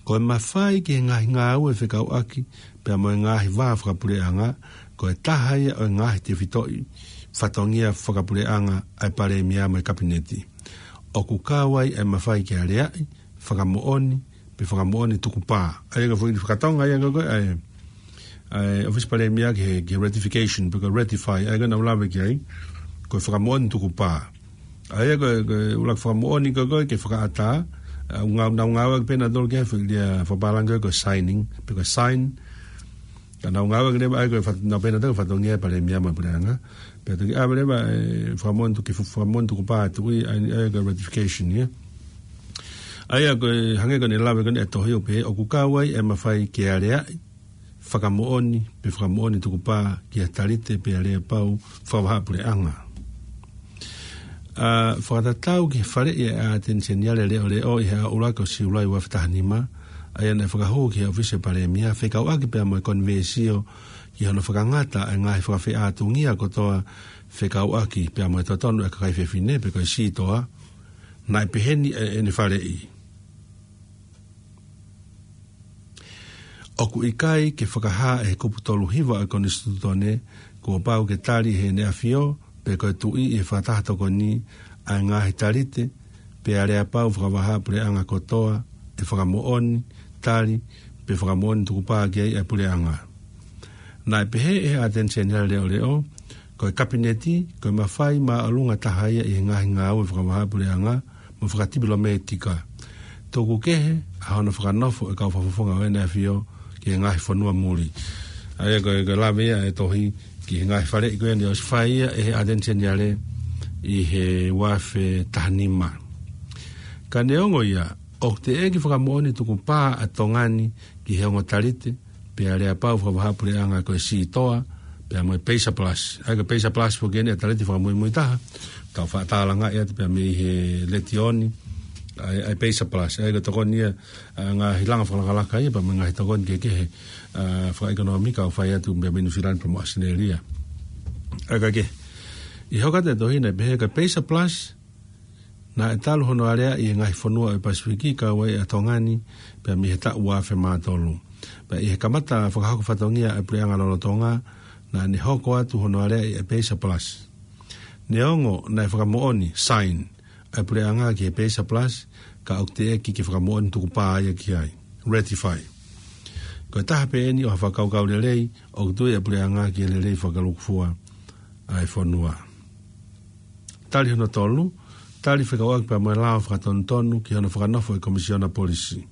ko e mafai ki he ngaahi ngāue fekauʻaki pea mo e ngaahi vā fakapuleʻanga, ko e taha ia ʻo e ngaahi tefitoʻi fatongia fakapuleʻanga ʻa e Palēmia mo e Kapineti. ʻOku kau ai e mafai ke aleaʻi, fakamoʻoni, pe fakamoʻoni tukupā. ʻA ia ko e foʻi fakatonga ia ko ē, ʻa e, ʻa e ʻOfisi Palēmia ki he, ki he ratification, pe ko e ratify, ʻa ia ko ē naʻa ku lave ki ai, ko e fakamoʻoni tukupā. ʻA ia ko e, ko e ʻuluaki fakamoʻoni ko ē, ko ē ke fakaʻatā, ʻa, ʻoku ngā-, nau ngāueʻaki pē ʻe nautolu ki he foʻi lea fakapālangi ko ē ko e signing, pe ko e sign, ka nau ngāueʻaki leva ʻa ia ko e fat-, nau pehē ʻe nautolu ko e fatongia e Palēmia mo e puleʻanga. Pea toki ʻave leva e fakamoʻoni tuku-, fakamoʻoni tukupā ʻa e tuʻi, ʻa ia, ʻa ia ko e ratification ia. ʻA ia ko e hangē ko ʻene lave ko eni e tohi ʻo pehē, ʻoku kau ai e mafai ke aleaʻi, fakamoʻoni, pe fakamoʻoni tukupā ki ha talite pe aleapau fakavahaʻapuleʻanga. ʻA, fakatatau ki he faleʻi e ʻAteni Seniale Leʻoleʻo ʻi he ʻaho ʻuluaki ʻo Siulai ua afe taha nima, ʻa ia naʻe fakahū ki he ʻOfisi Palēmia, fekauʻaki pea mo e konivēsio ki hono fakangata e ngaahi fakafeʻātungia kotoa fekauʻaki pea mo e totonu e kakai fefine pe ko e sitoa. Naʻe peheni ʻe, ʻene faleʻi. ʻOku ʻikai ke fakahā ʻe he kupu tolu hiva ʻo e Konisitūtone, kuo pau ke tali ʻe he ʻEne ʻAfio, pe ko e Tuʻi ʻi he fakataha tokoni, ʻa e ngaahi talite, pe aleapau fakavahaʻapuleʻanga kotoa, ʻe fakamoʻoni, tali, pe fakamoʻoni tukupā ki ai ʻa e puleʻanga. Naʻe pehē ʻe he ʻAteni Seniale Leʻoleʻo, ko e Kapineti, ko e mafai māʻolunga taha ia ʻi he ngaahi ngāue fakavahaʻapuleʻanga mo fakatipilometika. Tuku kehe ʻa hono fakanofo ʻo e kau fakafofonga ʻo ʻEne ʻAfio ki he ngaahi fonua muli. ʻA ia ko e, ko e lave ia ʻa e tohi ki he ngaahi faleʻi ko ia naʻe ʻosi fai ia ʻe he ʻAteni Seniale ʻi he ua afe taha nima. Ka neongo ia, ʻoku teʻeki fakamoʻoni tukupā ʻa Tonga ni ki he ongo talite, pe aleapau fakavahaʻapuleʻanga ko e Sitoa, pea mo e Pay Surplus. ʻA ia ko e Pay Surplus foki eni ʻa e talite fakamuimui taha, tau faʻa tālangaʻi atu pea mei he Letiō ni, ʻa e, ʻa e Pay Surplus. ʻA ia ko e tokoni ia, ʻa e ngaahi langa fakalakalaka ia, pea mo e ngaahi tokoni kehekehe, ʻa, fakaʻekonōmika ʻoku fai atu pea mei Nuʻu Sila pea mo ʻAositelēlia. ʻA ia ka ke, ʻi he hoko atu e tohi naʻe pehē ko e Pay Surplus, naʻe talu hono aleaʻi ʻi he ngaahi fonua ʻo e Pasifiki kau ai ʻa Tonga ni, pea mei he taʻu ua afe mā tolu. Pea ʻi he kamata fakahoko fatongia ʻa e puleʻanga lolotonga, naʻa ne hoko atu hono aleaʻi ʻa e Pay Surplus. Neongo naʻe fakamoʻoni, sign, ʻa e puleʻanga ki he Pay Surplus, ka ʻoku teʻeki ke fakamoʻoni tukupā ia ki ai, ratify. Ko e taha pē eni ʻo ha fakakaukau lelei, ʻoku tui ʻa e puleʻanga ki he lelei fakalūkufua ʻa e fonua. Tali hono tolu, tali fekauʻaki pea mo e lao fakatonutonu ki hono fakanofo ʻo e Komisiona Polisi.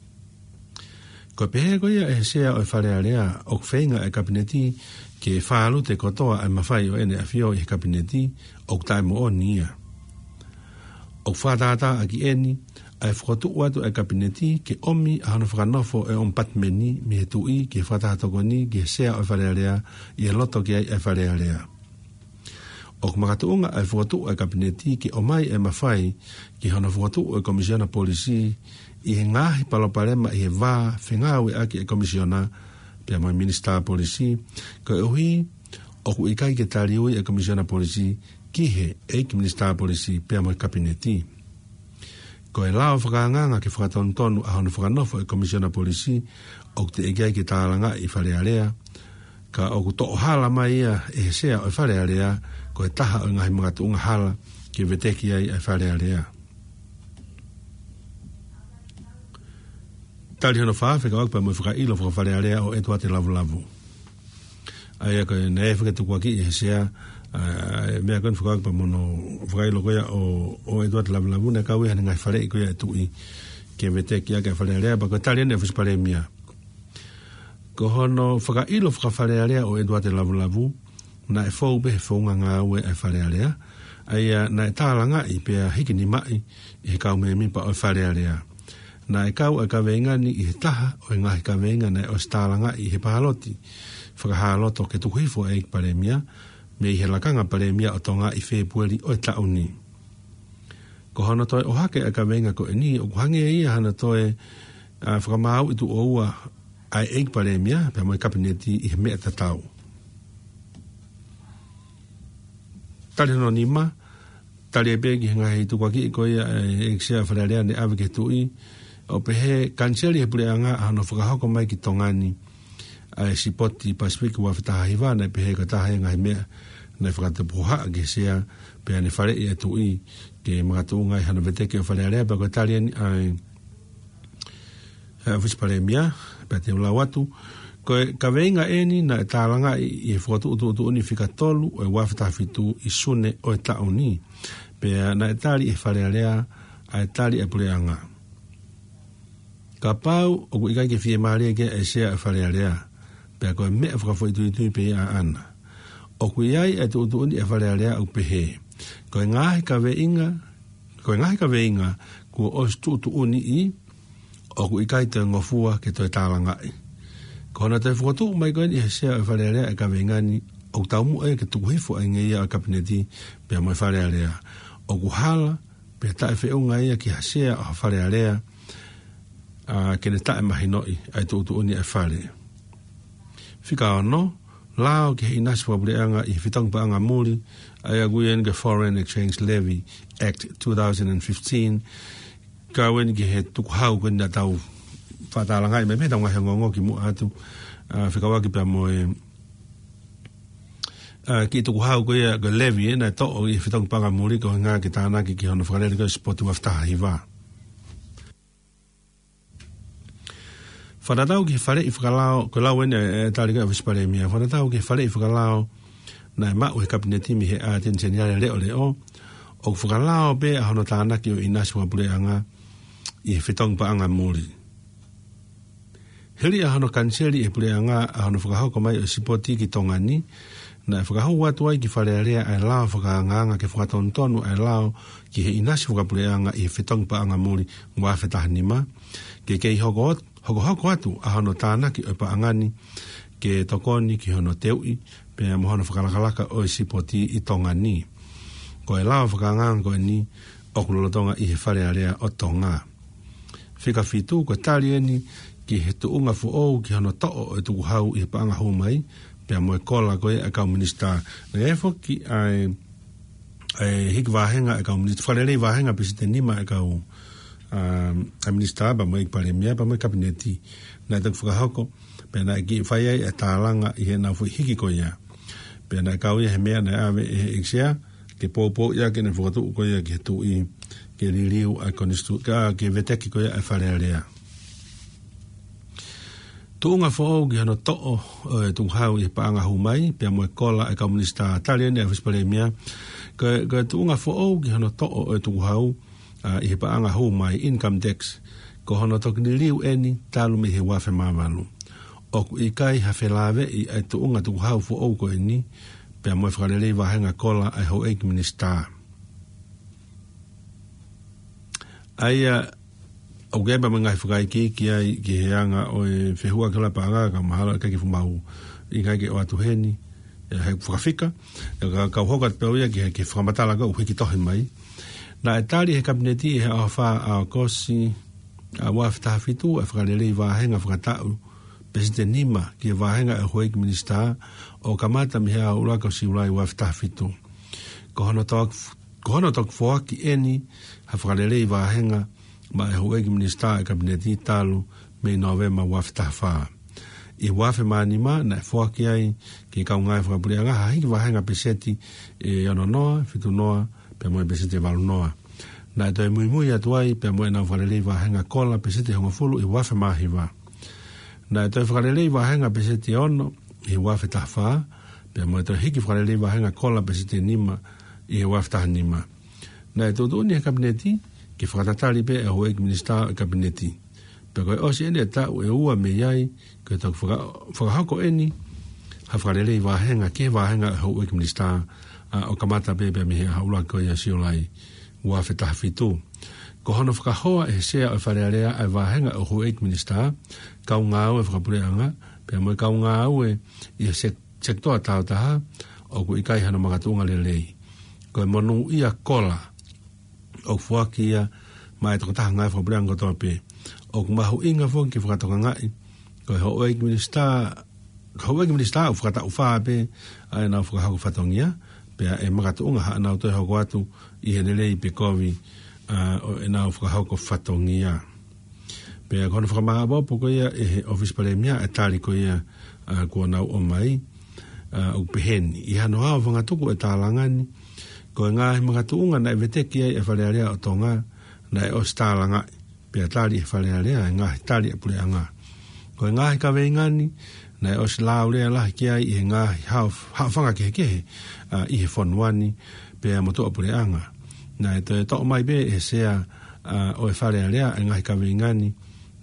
Ko e pehē ko ia ʻe he Sea ʻo e Fale Alea, ʻoku feinga ʻa e Kapineti ke fālute kotoa ʻa e mafai ʻo ʻEne ʻAfio ʻi he Kapineti, ʻoku taʻemoʻoni ia. ʻOku fakatātā ʻaki eni ʻa e fokotuʻu atu ʻa e Kapineti ke ʻomi ʻa hono fakanofo ʻo e ʻOmipatimeni mei he Tuʻi ki he fakataha tokoni ki he Sea ʻo e Fale Alea ʻi he loto ki ai ʻa e Fale Alea. ʻOku makatuʻunga ʻa e fokotuʻu ʻa e Kapineti ke ʻomai ʻa e mafai ki hono fokotuʻu ʻo e Komisiona Polisi ʻi he ngaahi palopalema ʻi he vā fengāueʻaki ʻa e Komisiona pea mo e Minisitā Polisi, koeʻuhi ʻoku ʻikai ke taliui ʻa e Komisiona Polisi ki he ʻEiki Minisitā Polisi pea mo e Kapineti. Ko e lao fakaangaanga ke fakatonutonu ʻa hono fakanofo ʻo e Komisiona Polisi, ʻoku teʻeki ai ke tālangaʻi ʻi Fale Alea, ka ʻoku toʻo hala mai ia ʻe he Sea ʻo e Fale Alea, ko e taha ʻo e ngaahi makatuʻunga hala ke veteki ai ʻa e Fale Alea. Tali hono fā, fekauʻaki pea mo e fakaʻilo faka-Fale Alea ʻo ʻEtuate Lavulavu. ʻA ia ko e naʻe fakatukua ki he Sea, ʻa e meʻa ko eni fekauʻaki pea mo hono fakaʻilo ko ia ʻo, ʻo ʻEtuate Lavulavu, naʻe kau ia he ngaahi faleʻi ko ia ʻa e Tuʻi ke veteki ʻaki ʻa e Fale Alea, pea ko e tali eni ʻa e ʻOfisi Palēmia. Ko hono fakaʻilo faka-Fale Alea ʻo ʻEtuate Lavulavu, naʻe fou pē he founga ngāue ʻa e Fale Alea, ʻa ia naʻe tālangaʻi pea hikinimaʻi ʻe he kau mēmipa ʻo e Fale Alea. Naʻe kau ʻa e kaveinga ni ʻi he taha ʻo e ngaahi kaveinga naʻe ʻosi tālangaʻi ʻi he pāloti fakahā loto ke tuku hifo ʻa e ʻEiki Palēmia, mei he Lakanga Palēmia ʻo Tonga ʻi Fēpueli ʻo e taʻu ni. Ko hono toe ʻohake ʻa e kaveinga ko eni, ʻoku hangē ia hano toe, ʻa, fakamāuʻi tuʻo ua ʻa e ʻEiki Palēmia pea mo e Kapineti ʻi he meʻa tatau. Tali hono nima, tali ai pē ki he ngaahi tukuakiʻi ko ia ʻa e ʻEiki Sea ʻo e Fale Alea naʻe ʻave ki he Tuʻi, ʻo pehē, kaniseli ʻe he puleʻanga ʻa hono fakahoko mai ki Tonga ni ʻa e Sipoti Pasifiki ua afe taha hiva, naʻe pehē ko e taha ia e ngaahi meʻa naʻe fakatupu hohaʻa ki he Sea, pea ne faleʻi ʻa e Tuʻi ke makatuʻunga ai hano veteki ʻo e Fale Alea, pea ko e tali eni ʻa e ʻa e ʻOfisi Palēmia, pea te u lau atu. Ko e kaveinga eni naʻe tālangaʻi ʻi he fokotuʻu tuʻutuʻuni fika tolu ʻo e ua afe taha fitu ʻi Sune ʻo e taʻu ni. Pea naʻe tali ʻe he Fale Alea ʻa e tali ʻa e puleʻanga. Kapau ʻoku ʻikai ke fiemālie ki ai ʻa e Sea ʻo e Fale Alea, pea ko e meʻa fakafoʻituitui pē ia ʻaʻana. ʻOku ʻi ai ʻa e tuʻutuʻuni ʻa e Fale Alea ʻoku pehē, ko e ngaahi kaveinga, ko e ngaahi kaveinga kuo ʻosi tuʻutuʻuniʻi, ʻoku ʻikai toe ngofua ke toe tālangaʻi. Ko hono toe fokotuʻu mai ko eni ʻe he Sea ʻo e Fale Alea ʻa e kaveinga ni, ʻoku taumuʻa ia ke tuku hifo ʻa e ngeia ʻo e Kapineti pea mo e Fale Alea. ʻOku hala pea taʻefeʻunga ia ki ha Sea ʻo ha Fale Alea, ʻa, ke ne taʻemahinoʻi ʻa e tuʻutuʻuni ʻa e Fale. Fika ono, lao ki he ʻinasi fakapuleʻanga ʻi he fetongi paʻanga muli, ʻa ia ʻoku ui eni ko e Foreign Exchange Levy Act two thousand and fifteen, kau eni ki he tukuhau ko eni naʻa tau faʻa tālangaʻi mai mei he ngaahi ongoongo kimuʻa atu, ʻa, fekauʻaki pea mo e, ʻa, kiʻi tukuhau ko ia ko e levy ʻe naʻe toʻo ʻi he fetongi paʻanga muli ko e ʻuhinga ke tānaki ki hono fakalele ko e sipoti ua afe taha hiva. Fakatatau ki he faleʻi fakalao, ko e lau eni ʻa e, ʻa e tali ko ē ʻa e ʻOfisi Palēmia. Fakatatau ki he faleʻi fakalao naʻe maʻu ʻe he Kapineti mei he ʻAteni Seniale leʻoleʻo, ʻoku fakalao pē ʻa hono tānaki ʻo e ʻinasi fakapuleʻanga ʻi he fetongi paʻanga muli. Hili ʻa hono kaniseli ʻe he puleʻanga ʻa hono fakahoko mai ʻo e sipoti ki Tonga ni, naʻe fakahū atu ai ki Fale Alea ʻa e lao fakaangaanga ke fakatonutonu ʻa e lao ki he ʻinasi fakapuleʻanga ʻi he fetongi paʻanga muli ua afe taha nima, ke kei hoko ot-, hokohoko atu ʻa hono tānaki ʻo e paʻanga ni ke tokoni ki hono teuʻi pea mo hono fakalakalaka ʻo e sipoti ʻi Tonga ni. Ko e lao fakaangaanga ko eni ʻoku lolotonga ʻi he Fale Alea ʻo Tonga. Fika fitu, ko e tali eni ki he tuʻunga foʻou ki hono toʻo ʻo e tukuhau ʻi he paʻanga hū mai, pea mo e kola ko ia ʻa e kau minisitā. Naʻe ʻi ai foki ʻa e, ʻa e hiki vāhenga ʻa e kau minisitā, fakalelei vāhenga pēseti ʻe nima ʻa e kau, ʻa, ʻa e minisitā, pea mo e ʻEiki Palēmia, pea mo e Kapineti. Naʻe toki fakahoko, pea naʻe kiʻi fai ai ʻa e tālanga ʻi heʻenau foʻi hiki ko ia. Pea naʻe kau ia he meʻa naʻe ʻave ʻe he ʻEiki Sea, ke poupouʻi ʻaki ʻene fokotuʻu ko ia ki he Tuʻi, ke liliu ʻa e konisitū-, ka, ke veteki ko ia ʻa e Fale Alea. Tuʻunga foʻou ki hono toʻo ʻo e tukuhau ʻi he paʻanga hū mai, pea mo e kola ʻa e kau minisitā, tali eni ʻa e ʻOfisi Palēmia, ko e, ko e tuʻunga foʻou ki hono toʻo ʻo e tukuhau, ʻa, ʻi he paʻanga hū mai, income tax, ko hono toki liliu eni talu mei he ua afe mā valu. ʻOku ʻikai ha felāveʻi ʻa e tuʻunga tukuhau foʻou ko eni, pea mo e fakalelei vāhenga kola ʻa e houʻeiki minisitā. ʻA ia, ʻoku ʻi ai pē mo e ngaahi fakaikiiki ai ki he anga ʻo e fehuʻaki ʻa e paʻanga, ka mahalo ʻe ʻikai ke fuʻu mahuʻinga ke ʻoatu heni, ʻe, he fakafika, ʻe, ka, kau hoko atu pē au ia ki he, ki he fakamatala ko ē ʻoku hiki tohi mai. Naʻe tali ʻe he Kapineti ʻi he ʻaho fā ʻo ʻAokosi, ʻa, ua afe taha fitu, ʻa e fakalelei vāhenga fakataʻu pēseti ʻe nima ki he vāhenga ʻa e houʻeiki minisitā ʻo kamata mei he ʻaho ʻuluaki ʻo Siulai ua afe taha fitu. Ko hono toki, ko hono toki foaki eni ha fakalelei vāhenga maʻa e houʻeiki minisitā ʻa e Kapineti talu mei Nōvema ua afe taha fā. ʻI he ua afe mā nima naʻe foaki ai ki he kau ngāue fakapuleʻanga ha hiki vāhenga pēseti ʻe ono noa, fitu noa, pea mo e pēseti ʻe valu noa. Naʻe toe muimui atu ai pea mo ʻenau fakalelei vāhenga kola pēseti ʻe hongofulu ʻi he ua afe mā hiva. Naʻe toe fakalelei vāhenga pēseti ʻe ono ʻi he ua afe taha fā, pea mo e toe hiki fakalelei vāhenga kola pēseti ʻe nima ʻi he ua afe taha nima. Naʻe tuʻutuʻuni ʻe he Kapineti ke fakatatali pē ʻa e houʻeiki minisitā ʻo e Kapineti. Pea ko e ʻosi eni ʻa e taʻu ʻe ua mei ai, ko e toki faka-, fakahoko eni ha fakalelei vāhenga ki he vāhenga ʻa e houʻeiki minisitā, ʻa, ʻo kamata pē pea mei he ʻaho ʻuluaki ʻo Siulai ua afe taha fitu. Ko hono fakahoa ʻe he Sea ʻo e Fale Alea ʻa e vāhenga ʻo e houʻeiki minisitā, kau ngāue fakapuleʻanga, pea mo e kau ngāue ʻi he sek-, sekitoa taautaha, ʻoku ʻikai hano makatuʻunga lelei. Ko e monūʻia kola ʻoku foaki ia maʻa e tokotaha ngāue fakapuleʻanga kotoa pē. ʻOku mahuʻinga foki ke fakatokangaʻi ko e houʻeiki minisitā, houʻeiki minisitā ʻoku fakataʻu fā pē ʻa ʻenau fakahoko fatongia, pea ʻe makatuʻunga haʻanau toe hoko atu ʻi he lelei pe kovi, ʻa, ʻo ʻenau fakahoko fatongia. Pea ko hono fakamāʻopoʻopo ko ia ʻe he ʻOfisi Palēmia ʻa e tali ko ia, ʻa, kuo nau ʻomai, ʻa, ʻoku peheni. ʻI hano hao fangatuku ʻo e tālanga ni, ko e ngaahi makatuʻunga naʻe veteki ai ʻa e Fale Alea ʻo Tonga, naʻe ʻosi tālangaʻi, pea tali ʻe he Fale Alea ʻa e ngaahi tali ʻa e puleʻanga. Ko e ngaahi kaveinga ni, naʻe ʻosi laulea lahi ki ai ʻi he ngaahi hao-, haʻofanga kehekehe, ʻa, ʻi he fonua ni, pea mo tuʻapuleʻanga. Naʻe toe toʻo mai pē ʻe he Sea, ʻa, ʻo e Fale Alea ʻa e ngaahi kaveinga ni,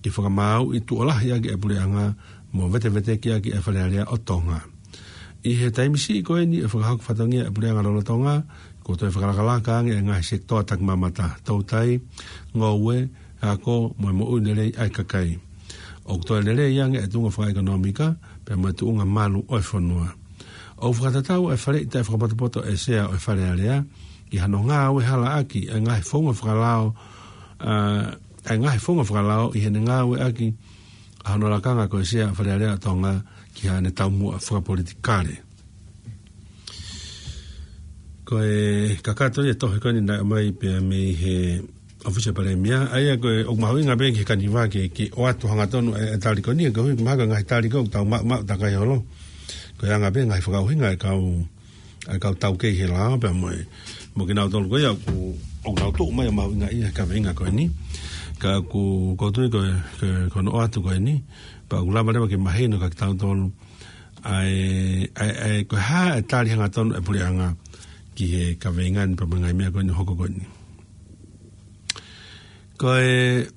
ke fakamāuʻi tuʻo lahi ʻaki ʻa e puleʻanga, mo vetevetekiʻaki ʻa e Fale Alea ʻo Tonga. ʻI he taimi siʻi ko eni ʻo e fakahoko fatongia ʻa e puleʻanga lolotonga, kuo toe fakalakalaka ange ʻa e ngaahi sekitoa takimamata, toutai, ngoue, ako, mo e moʻui lelei ʻa e kakai. ʻOku toe lelei ange ʻa e tuʻunga fakaʻekonōmika, pea mo e tuʻunga malu ʻo e fonua. ʻOku fakatatau ʻa e faleʻi taʻefakapotopoto ʻa e Sea ʻo e Fale Alea, ki hano ngāue halaʻaki ʻa e ngaahi founga fakalao, ʻa, ʻa e ngaahi founga fakalao ʻi heʻene ngāueʻaki ʻa hono lakanga ko e Sea ʻa e Fale Alea ʻo Tonga ki haʻane taumuʻa fakapolitikale. Ko e kakato ia e tohi ko eni naʻe ʻomai pea mei he ʻŌfisi ʻo e Palēmia, ʻa ia ko e ʻoku mahuʻinga pē ki he Kaniva ke, ke ʻoatu hangatonu e, e tali ko eni, koeʻuhi ko e mahalo ko e ngaahi tali ko ē ʻoku tau maʻu, maʻu takai holo. Ko e anga pē ngaahi fakaʻuhinga e kau, e kau taukei he lao pea mo e, mo kinautolu ko ia ʻoku, ʻoku nau tuʻu mai ʻo mahuʻingaʻia he kaveinga ko eni. Ka ʻoku, ʻoku ou tui ko e, ko e, ko hono ʻoatu ko eni, pea ʻoku lava leva ke mahino kia kitautolu ʻa e, ʻa e, ʻa e, ko e hā e tali hangatonu e puleʻanga ki he kaveinga ni pea mo e ngaahi meʻa ko eni ʻoku hoko ko eni. Ko e,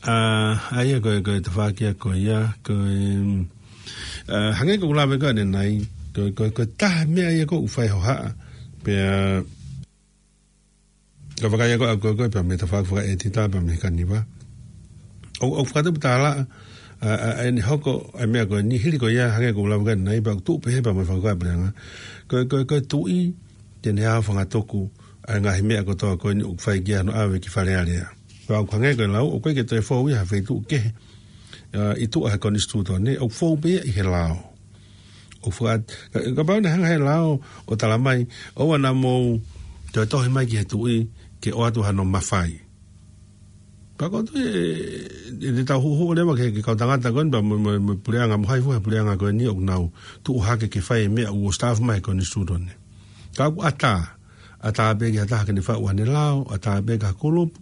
ʻa, ʻa ia ko e, ko e tafaʻaki ia ko ia, ko e, ʻa, hangē ko ʻeku lave ko ē ʻanenai, ko e, ko e, ko e taha meʻa ia ʻoku fai hohaʻa, pea, ko e fakaʻikai ko ē ʻa e, ko e, ko e, pea mei he tafaʻaki fakaʻētita, pea mei he Kaniva. ʻO, ʻo fakatupu tālaʻa, ʻa, ʻa, ʻa ʻene hoko, ʻa e meʻa ko eni hili ko ia, hangē ko ʻeku lave ko ē ʻanenai, pea ʻoku tuʻu pehē pea mo e fakaʻikai puleʻanga. Ko e, ko e, ko e tuʻi, te ne ʻave fangatuku, ʻa e ngaahi meʻa kotoa ko eni ʻoku fai ki ai hono ʻave ki Fale Alea. Pea ʻoku hangē ko e lau, ʻoku ʻikai ke toe fou ia ha feituʻu kehe, ʻa, ʻi tuʻa he konisitūtone, ʻoku fou pē ia ʻi he lao. ʻOku faka-, ka, kapau naʻe hanga he lao ʻo tala mai, ʻoua naʻa mou toe tohi mai ki he tuʻi ke ʻoatu hano mafai. Pea ʻoku ou tui e, e, e te tau huʻuhuʻu leva ki he, ki he kau tangata ko eni, pea mo, mo, mo e puleʻanga mo hai fua he puleʻanga ko eni ʻoku nau tuʻu hake ke fai e meʻa ʻoku ʻosi taʻofi mai he konisitūtone. Ka ʻoku ʻatā, ʻatā pē ki ha taha ke ne faʻu haʻane lao, ʻatā pē ki ha kulupu.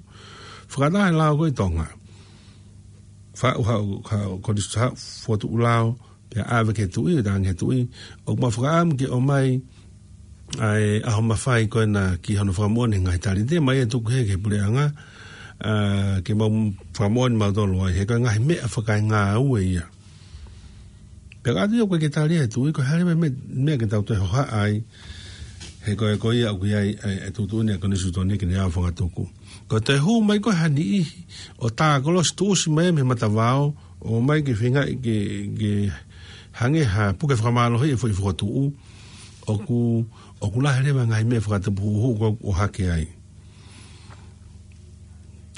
Fakataha e lao ko ē ʻi Tonga. Faʻu ha, ha, konisitū-, ha, fokotuʻu lao, pea ʻave ki he tuʻi, ʻo tangi ki he tuʻi, ʻoku mau fakaʻamu ke ʻomai ʻa e ʻaho mafai ko ena ki hono fakamoʻoni e ngaahi tali. Te mau tuku hē ki he puleʻanga, ʻa, ke mau fakamoʻoni mautolu ai, he ko e ngaahi meʻa fakaengāue ia. Pea ka ʻoku ʻikai ke tali ʻe he tuʻi, ko e hā leva e meʻa, meʻa ke tau toe hohaʻa ai, he ko e, ko ia ʻoku ʻi ai e, e tuʻutuʻuni ʻa e konisitūtone ke ne ʻave fangatuku. Ko e toe hū mai ko ē ha niʻihi ʻo tā kolosi tuʻusi mai mei he matavao, ʻo ō mai ke feingaʻi ke, ke hangē ha puke fakamālohiʻi e foʻi fokotuʻu, ʻoku, ʻoku lahi leva e ngaahi meʻa fakatupu huʻuhuʻu ko ē ʻoku ʻohake ai.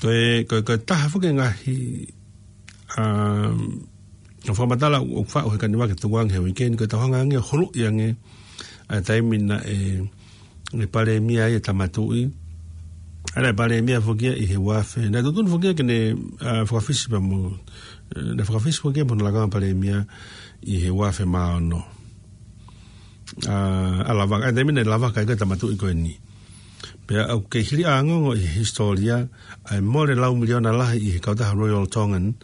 Ko e, ko e, ko e taha foki e ngaahi, um, ʻo fakamatala ʻoku faʻu he Kaniva ke tukuange he uike ni, ko e tau hanga ange ʻo huluʻi ange ʻa e taimi naʻe, ʻe palēmia ai e Tama Tuʻi. ʻA ia naʻe palēmia foki ia ʻi he uafe. Naʻe tuʻutuʻuni foki ia ke ne, ʻa, fakafisi pea mo, ʻe, naʻe fakafisi foki ia mo hono lakanga palēmia ʻi he uafe mā ono. ʻA, ʻa Lavaka, ʻa e taimi naʻe lavaka ai ko ē e Tama Tuʻi ko eni. Pea ʻoku kei hili ʻa e ongoongo ʻi he hisitōlia, ʻa e mole lau miliona lahi ʻi he kautaha Royal Tongan,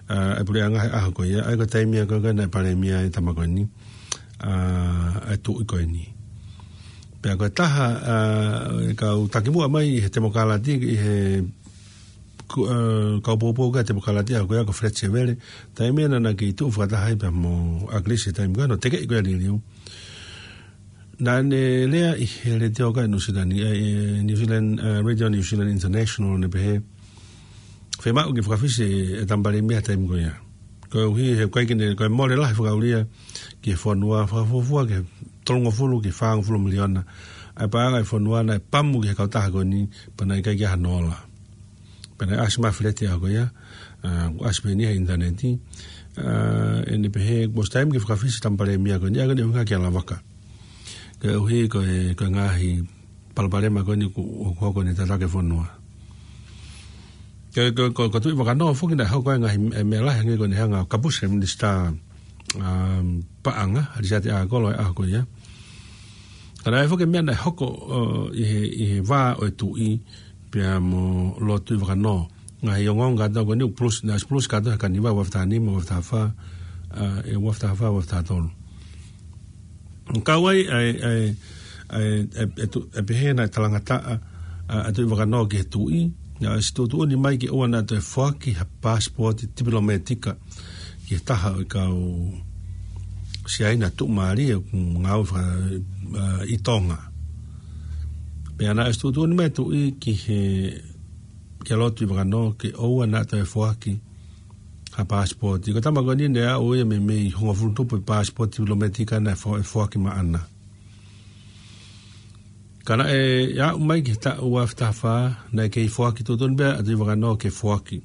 ʻa, ʻa e puleʻanga he ʻaho ko ia, ʻa ia ko e taimi ia ko ē naʻe palēmia ai e tama ko eni, ʻa, ʻa e tuʻi ko eni. Pea ko e taha, ʻa, e kau takimuʻa mai ʻi he temokalati, ʻi he ku-, ʻa, kau poupou ki he temokalati ʻa ko ia ko Fred Sevele, taimi ia naʻa na kei tuʻu fakataha ai pea mo ʻAkilisi he taimi ko ia, naʻe tekeʻi ko ia e liliu. Naʻa ne lea ʻi he letiō ko ē Nuʻu Sila ni, ʻa, ʻi New Zealand, ʻa, Radio New Zealand International naʻe pehē, fiemaʻu ke fakafisi e, e tama palēmia he taimi ko ia. Koeʻuhi he ʻoku ʻikai ke ne, ko e mole lahi fakaʻulia ki he fonua, fakafuofua ki he tolungofulu ki he fāngofulu miliona. ʻA e paʻanga e fonua naʻe pamu ki he kautaha ko eni, pea naʻe ʻikai ke ʻi ai hano ola. Pea naʻe ʻasi mai Fred he ʻaho ko ia, ʻa, ʻoku ʻasi pē eni he ʻinitaneti, ʻa, ʻa ʻene pehē, kuo ʻosi taimi ke fakafisi e tama palēmia ko eni, ʻa ia ko ʻene ʻuhinga kia Lavaka. Koeʻuhi ko e, ko e ngaahi palopalema ko eni ʻoku, ʻoku hoko ʻi he tataki e fonua. Ko, ko, ko, ko Tuʻivakanō foki naʻe hoko ai e ngaahi, e meʻa lahi hangē ko ʻene hanga ʻo kapusi e minisitā, um, paʻanga, Lisiate ʻAkolo he ʻaho ko ia. Ka naʻe foki e meʻa naʻe hoko, ʻo, ʻi he, ʻi he vā ʻo e tuʻi, pea mo Lord Tuʻivakanō. Ngaahi ongoongo kātoa ko eni ʻoku pulusi, naʻe ʻosi pulusi kātoa he Kaniva uafe taha nima, uafe taha fā, ʻa, ʻe uafe taha fā, uafe taha tolu. Kau ai, ʻa e, ʻa e, ʻa e, ʻa e, ʻa e tu-, ʻa e pehē naʻe talangataʻa, ʻa, ʻa Tuʻivakanō ki he tuʻi, naʻe ʻosi tuʻutuʻuni mai ke ʻoua naʻa toe foaki ha paasipooti tipilōmētika ki he taha ʻo e kau Siaina tuʻumālie ʻoku ngāue faka-, ʻa, ʻi Tonga. Pea naʻe ʻosi tuʻutuʻuni mai e tuʻi ki he, kia Lord Tuʻivakanō ke ʻoua naʻa toe foaki ha paasipooti. Ko e tama ko eni naʻe aʻu ia mei, mei he hongofulu tupu e paasipooti tipilōmētika naʻe fo-, ʻe foaki maʻana. Ka naʻe aʻu mai ki he taʻu ua afe taha fā, naʻe kei foaki, tuʻutuʻuni pē ʻa Tuʻivakanō ke foaki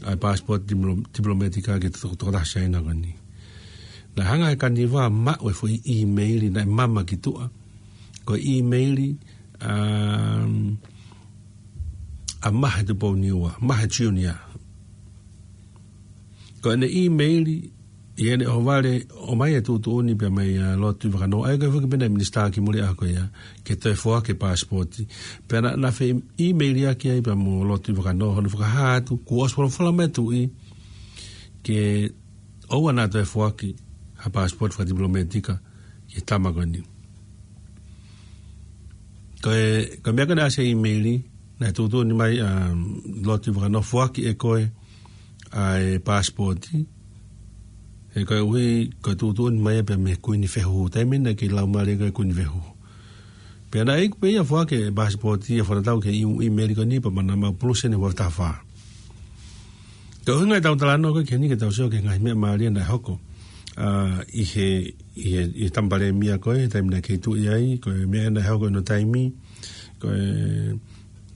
ʻa e passport diplo-, diplomatic ki he to-, tokotaha Siaina ko eni. Naʻe hanga ʻe Kaniva ʻo maʻu e foʻi ʻīmeili naʻe mama ki tuʻa. Ko e ʻīmeili, um, ʻa Mahe Tupouniua, Mahe Junior. Ko ʻene ʻīmeili, ʻi heʻene ʻohovale, ʻomai e tuʻutuʻuni pea mei a Lord Tuʻivakanō, ʻa ia ko e foki pē naʻe minisitā ki muli ʻaho ko ia, ke toe foaki e passport. Pea naʻa, naʻa na feʻīmeili ʻaki ai pea mo Lord Tuʻivakanō, hono fakahā atu, kuo ʻosi folofola mai e tuʻi, ke ʻoua naʻa toe foaki ha passport fakadiplomatic ki he tama ko eni. Ko e, ko e meʻa ko ē naʻe ʻasi he ʻīmeili, naʻe tuʻutuʻuni mai, um, Lord Tuʻivakanō, foaki ʻe koe ʻa e passport. He koeʻuhi, ko e tuʻutuʻuni mai pē mei he Kuini Fehuhu. Taimi naʻe kei laumālie ko ē Kuini Fehuhu. Pea naʻe iku pē ia ʻo foaki e passport ʻi he fakatatau ki he ʻī-, ʻīmeili ko eni pea naʻa mau pulusi ʻene ua afe taha fā. Ko e ʻuhinga ʻetau talanoa ko ē ki heni ke tau sio ki he ngaahi meʻa mālie naʻe hoko, ʻa, ʻi he, ʻi he, ʻi he tama palēmia ko ē, taimi naʻe kei tuʻi ai, ko e meʻa naʻe hoko ʻi hono taimi, ko e,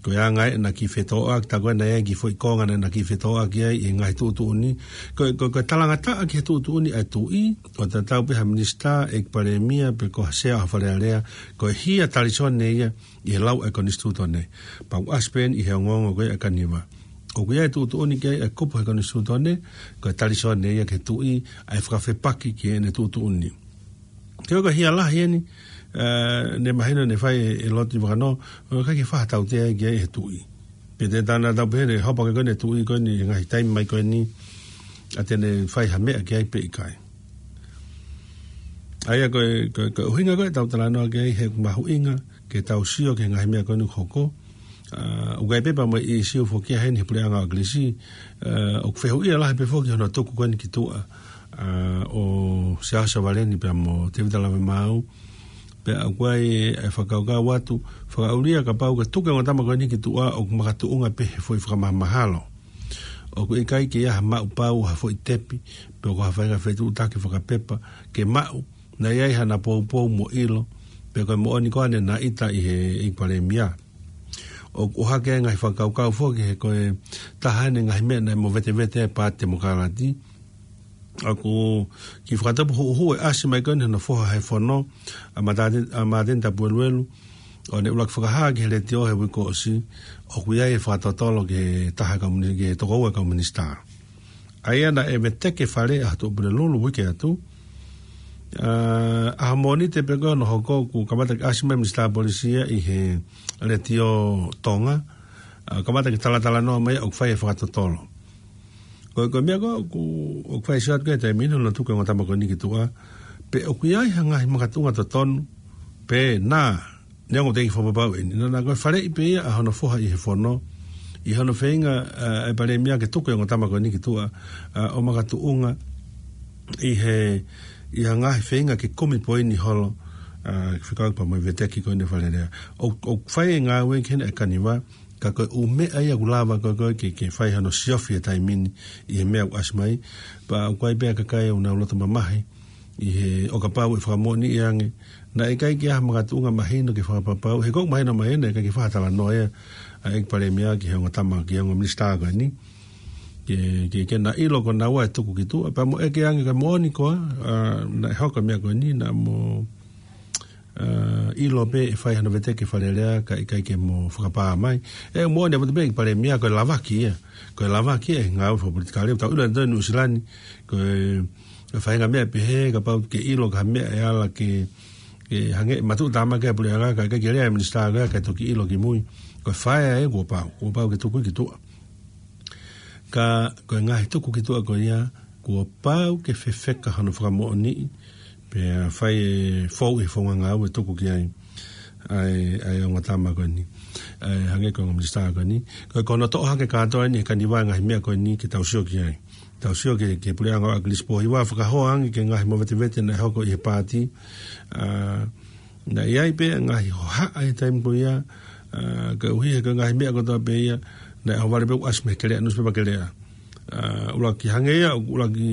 ko e anga ē naʻa na kiʻi fetōʻaki, tā ko ē naʻe ʻi ai e kiʻi foʻi konga naʻa na kiʻi fetōʻaki ai ʻi he ngaahi tuʻutuʻuni. Ko e, ko e, ko e talangataʻa ki he tuʻutuʻuni ʻa e tuʻi, ʻo tatau pē ha minisitā, ʻeiki palēmia, pe ko ha sea ʻo ha Fale Alea, ko e hia talisone ia ʻi he lau ʻa e konisitūtone. Pea ʻoku ʻasi pē eni ʻi he ongoongo ko ē ʻa Kaniva. ʻOku ʻi ai e tuʻutuʻuni ki ai e kupu he konisitūtone, ko e talisone ia ki he tuʻi, ʻa e fakafepaki ki heʻene tuʻutuʻuni. Ke ʻoka hia lahi eni, ē, naʻe mahino naʻe fai ʻe, ʻe Lord Tuʻivakanō, ʻoku ʻikai ke fai ha tautea ia ki ai ʻe he tuʻi. Pea te tana tau pehē ʻe hopa ko ē ʻa e tuʻi ko eni, ngaahi taimi mai ko eni, ʻa te ne fai ha meʻa ki ai pe ʻikai. ʻA ia ko e, ko e, ko e ʻuhinga ko ē ʻetau talanoa ki ai he ʻoku mahuʻinga ke tau sio ki he ngaahi meʻa ko eni ʻoku hoko. ʻA, ʻoku ʻi ai pē pea mo e ʻīsiu foki ia heni he puleʻanga ʻo ʻAkilisi, ʻa, ʻoku fehuʻia lahi pē foki hono tuku ko eni ki tuʻa, ʻa, ʻo Siaosi Valeni pea mo Tēvita Lavemaau. Pea ʻoku ʻi ai e fakakaukau atu, fakaʻulia kapau ke tuku e ongo tama ko eni ki tuʻa ʻoku makatuʻunga pē he foʻi fakamahalo. ʻOku ʻikai ke ʻi ai ha maʻu pau ha foʻi tepi, pe ko ha faʻahinga fetuʻutaki fakapepa, ke maʻu, naʻe ʻi ai haʻana poupou mo ʻilo, pe ko e moʻoni ko ē naʻa na ʻita ʻi he ʻeiki palēmia. ʻOku ʻohake ai e ngaahi fakakaukau foki he ko e taha eni e ngaahi meʻa naʻe movetevete ai e Paati Temokalati. ʻOku kiʻi fakatupu huʻuhuʻu e ʻasi mai ko eni hono foha he fono, ʻa Māteni, ʻa Māteni Tapueluelu, ʻo ne ʻuluaki fakahā ki he letiō he uike kuo ʻosi, ʻoku ʻi ai e fakatotolo ki he taha kau mini-, ki he tokoua kau minisitā. ʻA ia naʻe veteki e Fale ʻa Tuʻapulelulu uike atu. ʻA, ʻaho Mōnite pē ko ē hono hoko kuo kamata ke ʻasi mai e minisitā polisi ia ʻi he letiō Tonga. ʻA, kamata ke talatalanoa mai ʻoku fai e fakatotolo. Ko e, ko e meʻa ko ē ʻoku, ʻoku fai sio atu ki ai he taimi ni hono tuku e ongo tama ko eni ki tuʻa. Pe ʻoku ʻi ai ha ngaahi makatuʻunga totonu, pe naʻa, neongo te u fakapapauʻi eni. Naʻa, naʻa ko e faleʻi pē ia ʻa hono foha ʻi he fono, ʻi hono feinga, ʻa, ʻa e palēmia ke tuku e ongo tama ko eni ki tuʻa, ʻa, ʻo makatuʻunga ʻi he, ʻi ha ngaahi feinga ke kumi poini holo, ʻa, fekauʻaki pea mo e veteki ko eni ʻa e Fale Alea. ʻO, ʻoku fai e ngāue ki heni ʻa Kaniva, ka ko e ʻū meʻa ia ʻoku lava ko ē, ko ē ke, ke fai hano siofi he taimi ni ʻi he meʻa ʻoku ʻasi mai, pea ʻoku ʻi ai pē ʻa e kakai ʻoku nau loto mamahi, ʻi he ʻo kapau ʻe fakamoʻoniʻi ange, naʻe ʻikai ke ʻi ai ha makatuʻunga mahino ke fakapapau, he ʻoku mahino mai eni, ʻikai ke fai ha talanoa ia ʻa e ʻeiki palēmia ki he ongo tama, ki he ongo minisitā ko eni. Ke, ke, ke na ʻilo ko naua e tuku ki tuʻa, pea mo ʻeke ange ka moʻoni koā, ʻa, naʻe hoko e meʻa ko eni, naʻa mo, ʻa, ʻilo pē ʻe fai hano veteki ʻe he Fale Alea, kae ʻikai ke mo fakapā mai. ʻE moʻoni ʻaupito pē ʻeiki palēmia, ko e lavaki ia. Ko e lavaki ia ʻi he ngāue fakapolitikale. Tau ʻilo ʻi Nuʻusila ni, ko e, ko e faʻahinga meʻa pehē, kapau ke ʻilo ki ha meʻa ʻe ala ke, ke hangē ʻe matuʻutāmaki ʻa e puleʻanga, kae ʻikai ke lea e minisitā ko ia, kae toki ʻilo kimui. Ko e fai ia kuo pau, kuo pau ke tuku ki tuʻa. Ka ko e ngaahi tuku ki tuʻa ko ia, kuo pau ke fefeka hono fakamoʻoniʻi, pea fai e fou ʻi he founga ngāue tuku ki ai ʻa e, ʻa e ongo tama ko eni, ʻa e hangē ko e ongo minisitā ko eni. Ko e, ko hono toʻo hake kātoa eni ʻe Kaniva e ngaahi meʻa ko eni ke tau sio ki ai. Tau sio ki he, ki he puleʻanga ʻo ʻAkilisi Pōhiva, fakahoa ange ki he ngaahi movetevete naʻe hoko ʻi he paati, ʻa, naʻe ʻi ai pē ngaahi hohaʻa he taimi ko ia, ʻa, koeʻuhi he ko e ngaahi meʻa kotoa pē ia, naʻe ʻohovale pē ʻo ʻasi mei he Keleʻa, nusipepa Keleʻa. ʻA, ʻuluaki hangē ia, ʻuluaki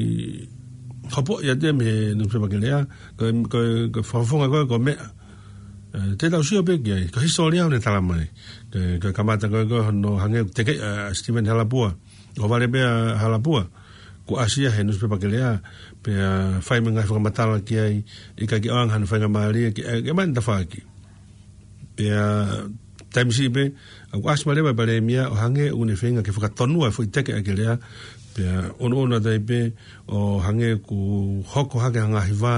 hopoʻi atu ia mei he nusipepa Keleʻa, ko e, ko e, ko e fakafofonga ko ē ko e meʻa. ʻE, te tau sio pē ki ai, ko e hisitōlia ʻoku ne tala mai. Ko e, ko e kamata ko ē ko hono hangē ʻoku teke, ʻa Stephen Halapua. ʻO vale pē ʻa Halapua. Kuo ʻasi ia he nusipepa Keleʻa, pea fai mo e ngaahi fakamatala ki ai, ʻikai ke ʻoange hano faingamālie, ke, ʻe, ke mai tafaʻaki. Pea, taimi siʻi pē, ʻoku ʻasi mai leva ʻa e palēmia, ʻo hangē ʻoku ne feinga ke fakatonua e foʻi teke ʻa Keleʻa, pea, ʻunuʻunu atu ai pē, ʻo hangē kuo hoko hake ha ngaahi vā,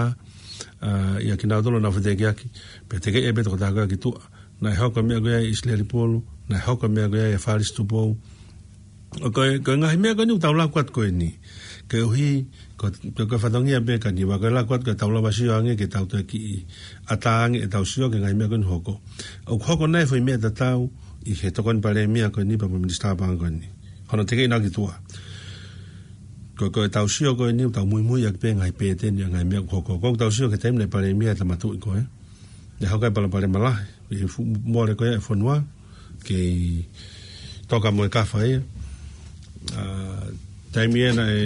ʻa, ʻia kinautolu naʻa nau fetekiaki, pea tekeʻi pē tokotaha ko ē ki tuʻa. Naʻe hoko e meʻa ko ia ʻi ʻIsileli Pulu, naʻe hoko e meʻa ko ia ʻia Falisi Tupou. ʻO ko e, ko e ngaahi meʻa ko eni ʻoku tau laku atu ko eni. Koeʻuhi, ko, ko, ko e fatongia pē ka ni ʻoku laku atu ka tau lava sio ange ke tau toe kiʻi ʻatā ange ʻetau sio ki he ngaahi meʻa ko eni ʻoku hoko. ʻOku hoko nai e foʻi meʻa tatau ʻi he tokoni palēmia ko eni pea mo e minisitā paʻanga ko eni. Hono tekeʻi naʻa ki tuʻa. Ko, ko ʻetau sio ko eni, ʻoku tau muimui ʻaki pē ngaahi pēteni ʻa e ngaahi meʻa ʻoku hoko. Ko ʻetau sio ki he taimi naʻe palēmia ʻa e tama tuʻi ko ē. Naʻe hoko ai e palopalema lahi, ʻi he fu-, mole ko ia e fonua, kei toka mo e kafa ia. ʻA, taimi ē naʻe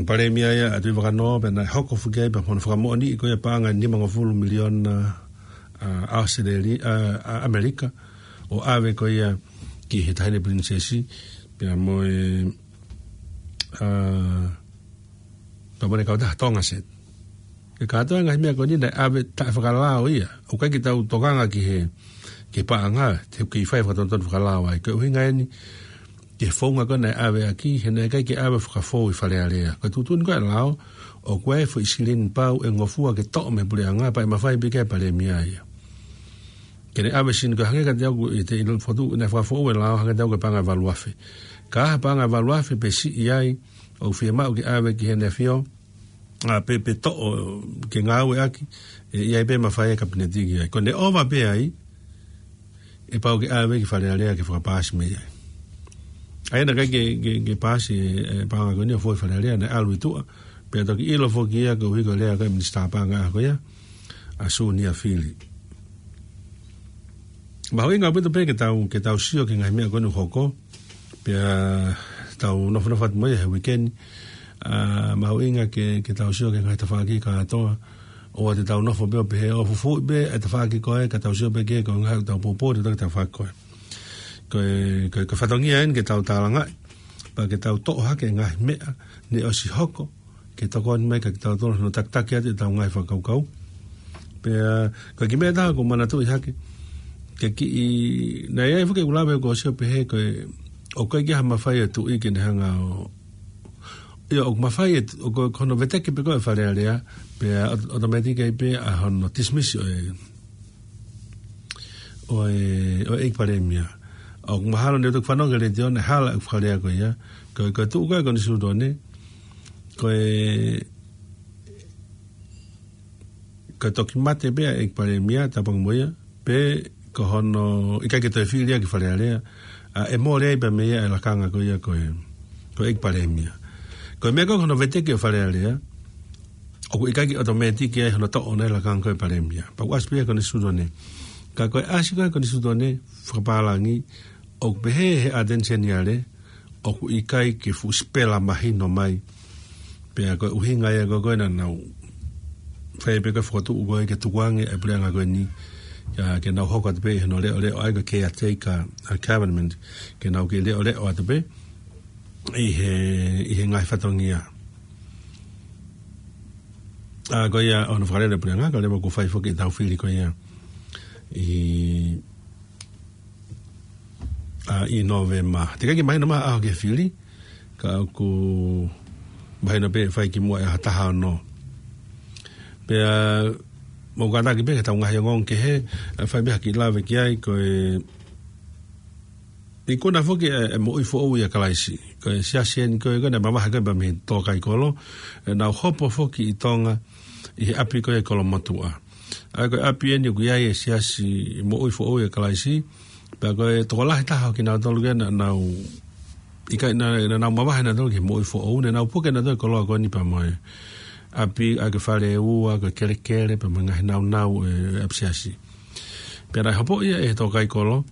palēmia ia ʻa Tuʻivakanō, pea naʻe hoko foki ai pea mo hono fakamoʻoniʻi ko ia paʻanga ʻe nimangofulu miliona, ʻa, ʻAositelēlia, ʻa, ʻa ʻAmelika, ʻo ʻave ko ia ki he Taʻahine Pilinisesi, pea mo e, ʻa, pea mo e kautaha Tongaset. Ko e kātoa e ngaahi meʻa ko eni naʻe ʻave taʻe fakalao ia. ʻOku ʻikai ke tau tokanga ki he, ki he paʻanga, te ke fai fakatonutonu fakalao ai. Ko e ʻuhinga eni, ki he founga ko ē naʻe ʻave ʻaki, he naʻe ʻikai ke ʻave fakafou ʻi Fale Alea. Ko e tuʻutuʻuni ko ē ʻa e lao, ʻoku ʻi ai e foʻi silini pau ʻe ngofua ke toʻo mei he puleʻanga, pea ʻe mafai pē ke ʻai e palēmia ia. Ke ne ʻave silini ko ē hangē kiate au ʻi he ʻilo fotu, naʻe fakafou e lao hangē kiate au ko e paʻanga ʻe valu afe. Ka ʻi ai ha paʻanga ʻe valu afe pe siʻi ai, ʻoku fiemaʻu ke ʻave ki heʻene ʻAfio, ʻa, pe, pe toʻo ke ngāueʻaki, ʻe, ʻi ai pē mafai ʻa e Kapineti ki ai. Ko ʻene ʻova pē ai, ʻe pau ke ʻave ki Fale Alea ke fakapaasi mei ai. ʻA ia naʻe ʻikai ke, ke, ke paasi e, e paʻanga ko eni ʻo fou ʻi Fale Alea, naʻe ʻalu ʻi tuʻa, pea toki ʻilo foki ia koeʻuhi ko e lea ko ē ʻa e minisitā paʻanga ko ia, ʻa Sunia Fili. Mahuʻinga ʻaupito pē ke tau, ke tau sio ki he ngaahi meʻa ko eni ʻoku hoko, pea tau nofonofo atu mo ia he uike ni. ʻA, mahuʻinga ke, ke tau sio ki he ngaahi tafaʻaki kātoa. ʻOua te tau nofo pē ʻo pehē ʻo fufuuʻi pē e tafaʻaki ko ē, ka tau sio pē ki he ngaahi ʻoku tau poupou atu ki he tafaʻaki ko ē. Ko e, ko e, ko e fatongia eni ke tau tālangaʻi. Pea ke tau toʻo hake e ngaahi meʻa naʻe ʻosi hoko, ke tokoni mai kiate kitautolu hono takitaki atu ʻetau ngaahi fakakaukau. Pea, ko e kiʻi meʻa ʻe taha ʻoku ou manatuʻi hake. Ke kiʻi, naʻe ʻi ai foki ʻeku lave ʻoku ou sio pehē ko e, ʻoku ʻikai ke ʻi ai ha mafai ʻa e tuʻi ke ne hanga ʻo, ʻio, ʻoku mafai ʻe, ʻoku, ko hono veteki pē ko ē ʻa Fale Alea, pea ʻo-, ʻotomētiki ai pē ʻa hono tisimisi ʻo e, ʻo e, ʻo e ʻEiki Palēmia. ʻOku mahalo naʻe toki fanongo ki he letiō naʻe hala e fakalea ko ia. Ko, ko e tuʻu ko ē ʻa e Konisitūtone, ko e, ko e toki mate pē ʻa e ʻEiki Palēmia, tāpuaki mo ia, pe ko hono ʻikai ke toe fili ia ki Fale Alea, ʻa, ʻe mole ai pē mei ai e lakanga ko ia ko e, ko e ʻEiki Palēmia. Ko e meʻa ko ē ko hono veteki ʻo Fale Alea, ʻoku ʻikai ke ʻotomētiki ai hono toʻo ʻo e lakanga ko ē ʻo e Palēmia. Pea ʻoku ʻasi pē ia he Konisitūtone. Ka ko e ʻasi ko ē he Konisitūtone fakapālangi, ʻoku pehē ʻe he ʻAteni Seniale, ʻoku ʻikai ke fuʻu sipela mahino mai. Pea ko e ʻuhinga ia ko ē ko ē naʻa nau fai pē ko e fokotuʻu ko ē ke tukuange e puleʻanga ko eni, ʻa, ke nau hoko atu pē ʻi hono leʻoleʻo ʻa e ko e caretaker, ʻa, government, ke nau kiʻi leʻoleʻo atu pē ʻi he, ʻi he ngaahi fatongia. ʻA, ko ia hono fakalele e puleʻanga, ka leva kuo fai foki ʻetau fili ko ia ʻi, ʻa, ʻi Nōvema. Teʻeki ai ke mahino mai ha ʻaho ki he fili, ka ʻoku mahino pē ʻe fai kimuʻa ʻe ha taha ʻo nō. Pea, mou kātaki pē ki heʻetau ngaahi ongoongo kehe, ʻe fai pē ha kiʻi lave ki ai, ko e ikuna foki e, e moʻui foʻou ʻia Kalaisi. Ko e siasi eni ko ē, ko ē naʻe mavahe ko ē pea mei he tō kai kolo, ʻe nau hopo foki ʻi Tonga, ʻi he ʻapi ko ē ʻi Kolomotuʻa. ʻA ia ko e ʻapi eni ʻoku ʻi ai e siasi moʻui foʻou ʻia Kalaisi, pea ko e tokolahi taha ʻo kinautolu ko ē naʻa nau, ʻikai naʻa, naʻa nau mavahe nautolu ki he moʻui foʻou, naʻa nau puke nautolu e koloa ko eni pea mo e ʻapi, ʻa ia ko e fale ʻe ua, ko e kelekele, pea mo e ngaahi naunau ʻo e ʻapisiasi. Pea naʻe hopo ia ʻe he tō kai kolo,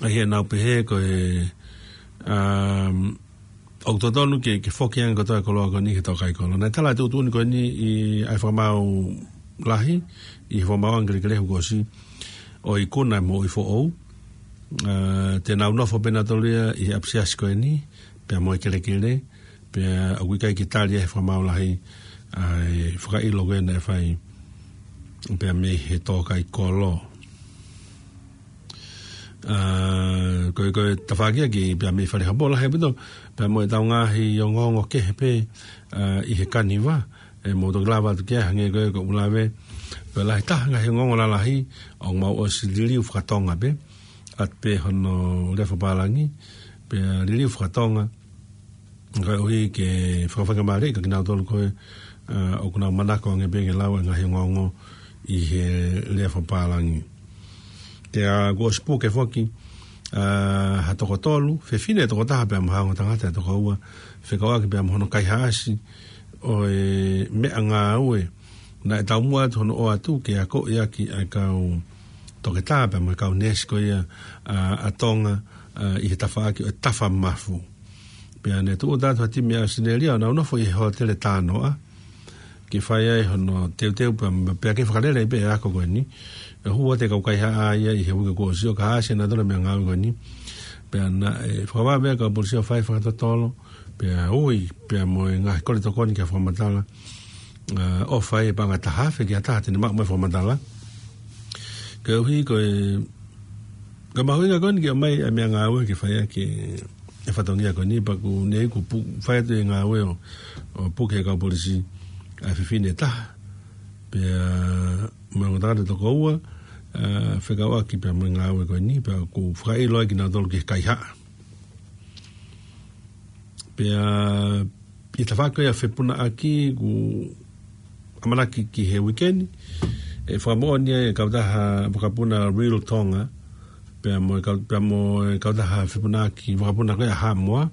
ʻa ia naʻa nau pehē ko e, um, ʻoku totonu ke, ke foki ange kotoa e koloa ko eni ki he tō kai kolo. Naʻe tala e tuʻutuʻuni ko eni ʻi he ʻai fakamaau lahi ʻi he fakamaauʻanga kelekele he uike kuo ʻosi, ʻo e ikuna mo e foʻou. ʻA, te nau nofo pē nautolu ia ʻi he ʻapisiasi ko eni, pea mo e kelekele, pea ʻoku ʻikai ke tali ia he fakamaau lahi ʻa e fakaʻilo ko ē naʻe fai pea mei he tōkaikolo. ʻA, ko e, ko e tafaʻaki ia ki pea mei Fale Haʻamoa lahi ʻaupito, pea mo ʻetau ngaahi ongoongo kehe pē, ʻa, ʻi he kaniva, ʻe mou toki lava atu ki ai hangē ko e, ko ʻeku lave, ko e lahi taha ngaahi ongoongo lalahi, ʻoku mau ʻosi liliu fakatonga pē, ʻa pē hono lea fakapālangi, pea liliu fakatonga, kae ʻuhi ke fakafaingamālieʻi kinautolu ko ē, ʻa, ʻoku nau manako ange pē ke lau e ngaahi ongoongo ʻi he lea fakapālangi. Pea kuo ʻosi puke foki, ʻa, ha toko tolu, fefine ʻe toko taha pea mo ha ongo tangata ʻe toko ua, fekauʻaki pea mo hono kaihaʻasi ʻo e meʻangāue naʻe taumuʻa atu hono ʻoatu ke akoʻi ʻaki ʻa e kau toketā pea mo e kau neesi ko ia, ʻa, ʻa Tonga, ʻa, ʻi he tafaʻaki ʻo e tafa mafu. Pea ne tuʻu atu ha timi ʻa ʻAositelēlia ʻo nau nofo ʻi he hōtele Tānoʻa ke fai ai hono teuteu pea, pea ke fakalele ai pē e ako ko eni. ʻE hū atu e kau kaihaʻa ia ʻi he uike kuo ʻosi ʻo kaihaʻasi ʻa nautolu e meʻangāue ko eni. Pea naʻe fakavave e kau polisi ʻo fai fakatotolo, pea ui, pea mo e ngaahi kole tokoni ki ha fakamatala, ʻa, ʻofa e paʻanga ʻe taha afe ki ha taha te ne maʻu mai e fakamatala. Kae ʻuhi ko e, ko e mahuʻinga ko eni ke ʻomai e meʻangāue ke fai ʻaki e fatongia ko eni, pea ʻoku ne iku pu-, fai atu e ngāue ʻo, ʻo puke he kau polisi ʻa e fefine ʻe taha, pea mo e ongo tangata ʻe toko ua, ʻa, fekauʻaki pea mo e ngāue ko eni, pea ʻoku fakaʻilo ai kinautolu ki he kaihaʻa. Pea ʻi he tafaʻaki ko ia fepunaʻaki ʻoku ʻamanaki ki he uike ni, ʻe fakamoʻoni ai e kautaha vakapuna Real Tonga, pea mo e kau-, pea mo e kautaha fepunaʻaki vakapuna ko ia Haʻamoa,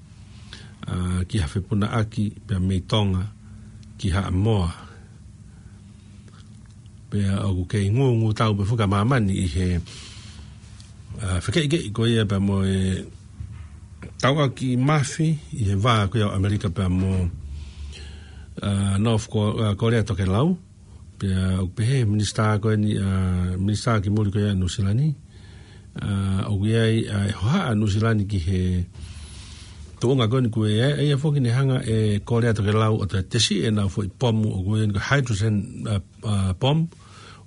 ʻa, ki ha fepunaʻaki pea mei Tonga ki Haʻamoa. Pea ʻoku kei ngūngū tau pē foki ʻa māmani ʻi he, ʻa, fekeʻikeʻi ko ia pea mo e tauʻaki mafi ʻi he vā ko ia ʻo ʻAmelika pea mo, ʻa, North Ko-, ʻa, Kōlea Tokelau. Pea ʻoku pehē minisitā ko eni, ʻa, minisitā ki muli ko ia Nuʻusila ni, ʻa, ʻoku ʻi ai, ʻa, e hohaʻa Nuʻusila ni ki he tuʻunga ko eni ko ē, ʻa ia foki ne hanga ʻe Kōlea Tokelau ʻo toe tesiʻi ʻenau foʻi pomu ʻoku ui ko e hydrogen, ʻa, ʻa, bomb,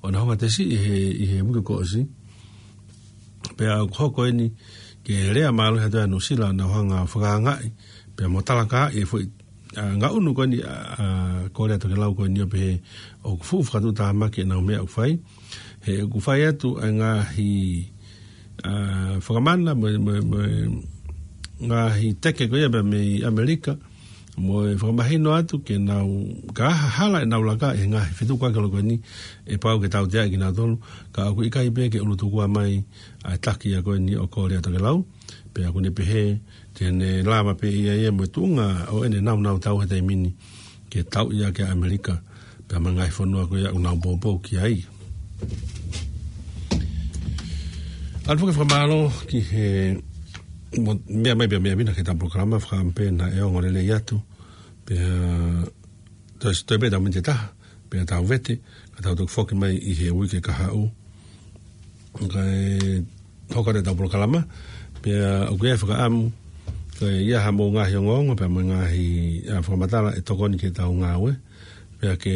ʻo nau hanga tesiʻi he, ʻi he uike kuo ʻosi. Pea ʻoku hoko eni ke lea mālohi atu ʻa Nuʻusila ʻo nau hanga fakaangaʻi, pea mo talakaaʻi e foʻi, ʻa, ngaʻunu ko eni, ʻa, ʻa, Kōlea Tokelau ko eni ʻo pehē ʻoku fuʻu fakatuʻutāmaki ʻenau meʻa ʻoku fai. He ʻoku fai atu ʻa e ngaahi, ʻa, fakamana mo, mo, mo e ngaahi teke ko ia pea mei ʻAmelika, mo e fakamahino atu ke nau, ka ha hala ʻenau laka ʻi he ngaahi fetukuaki holo ko eni, ʻe pau ke tauteaʻi kinautolu, ka ʻoku ʻikai pē ke ʻulutukua mai ʻa e taki ia ko eni ʻo Kōlea Tokelau, pea ʻoku ne pehē te ne lava pē ʻe ia ia mo e tuʻunga ʻo ʻene naunau tau he taimi ni ke tauʻi ʻaki ʻa ʻAmelika, pea mo e ngaahi fonua ko ia ʻoku nau poupou ki ai. ʻOatu foki e fakamālō ki he mo-, meʻa mai pea meʻa mai ki heʻetau polokalama, fakaʻamu pē naʻe ongo lelei atu, pea toe, toe pē ʻetau miniti ʻe taha, pea tau vete, ka tau toki foki mai ʻi he uike kahaʻu. Kae hoko atu ʻetau polokalama, pea ʻoku ʻi ai e fakaʻamu ke ʻi ai haʻamou ngaahi ongoongo, pea mo e ngaahi, ʻa, fakamatala ʻe tokoni ki heʻetau ngāue, pea ke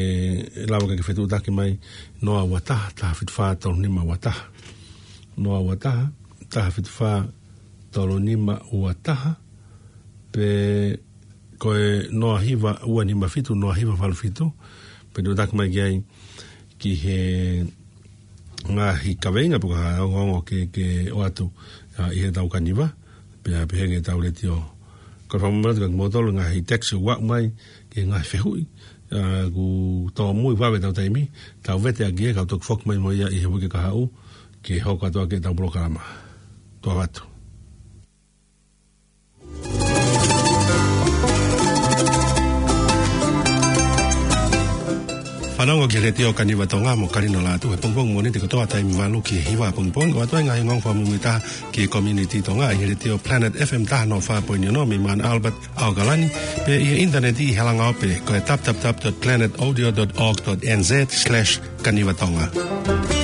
lava ke fetuʻutaki mai, noa ua taha, taha fitu fā, tolu nima ua taha. Noa ua taha, taha fitu fā, tolu nima ua taha, pe ko e noa hiva ua nima fitu, noa hiva valu fitu, fetuʻutaki mai ki ai ki he ngaahi kaveinga pe ko ha ongoongo ke, ke ʻoatu, ʻa, ʻi heʻetau kaniva, pea pehē ki heʻetau letiō. Ko e fakamolemole atu kia kimoutolu ngaahi text ʻoku aʻu mai, ki he ngaahi fehuʻi, ʻa, ʻoku tōmui vave ʻetau taimi, tau vete ʻaki ia ka tau toki foki mai mo ia ʻi he uike kahaʻu, ke hoko atu ʻaki ʻetau polokalama. Tuʻa ʻoatu. Fanongo ki he Letiō Kaniva Tonga mo Kalino Lātū he pongipongi Mōnite kotoa taimi valu ki he hiva pongipongi, ʻo ʻoatu ai e ngaahi ongoongo fakamuimuitaha ki he community Tonga ʻi he Letiō Planet F M taha noa fā poini ono mei Mount Albert, ʻAokalani, pea ʻi he ʻinitaneti ʻi he langaope ko e w w w dot planet audio dot org dot n z slash kaniva tonga.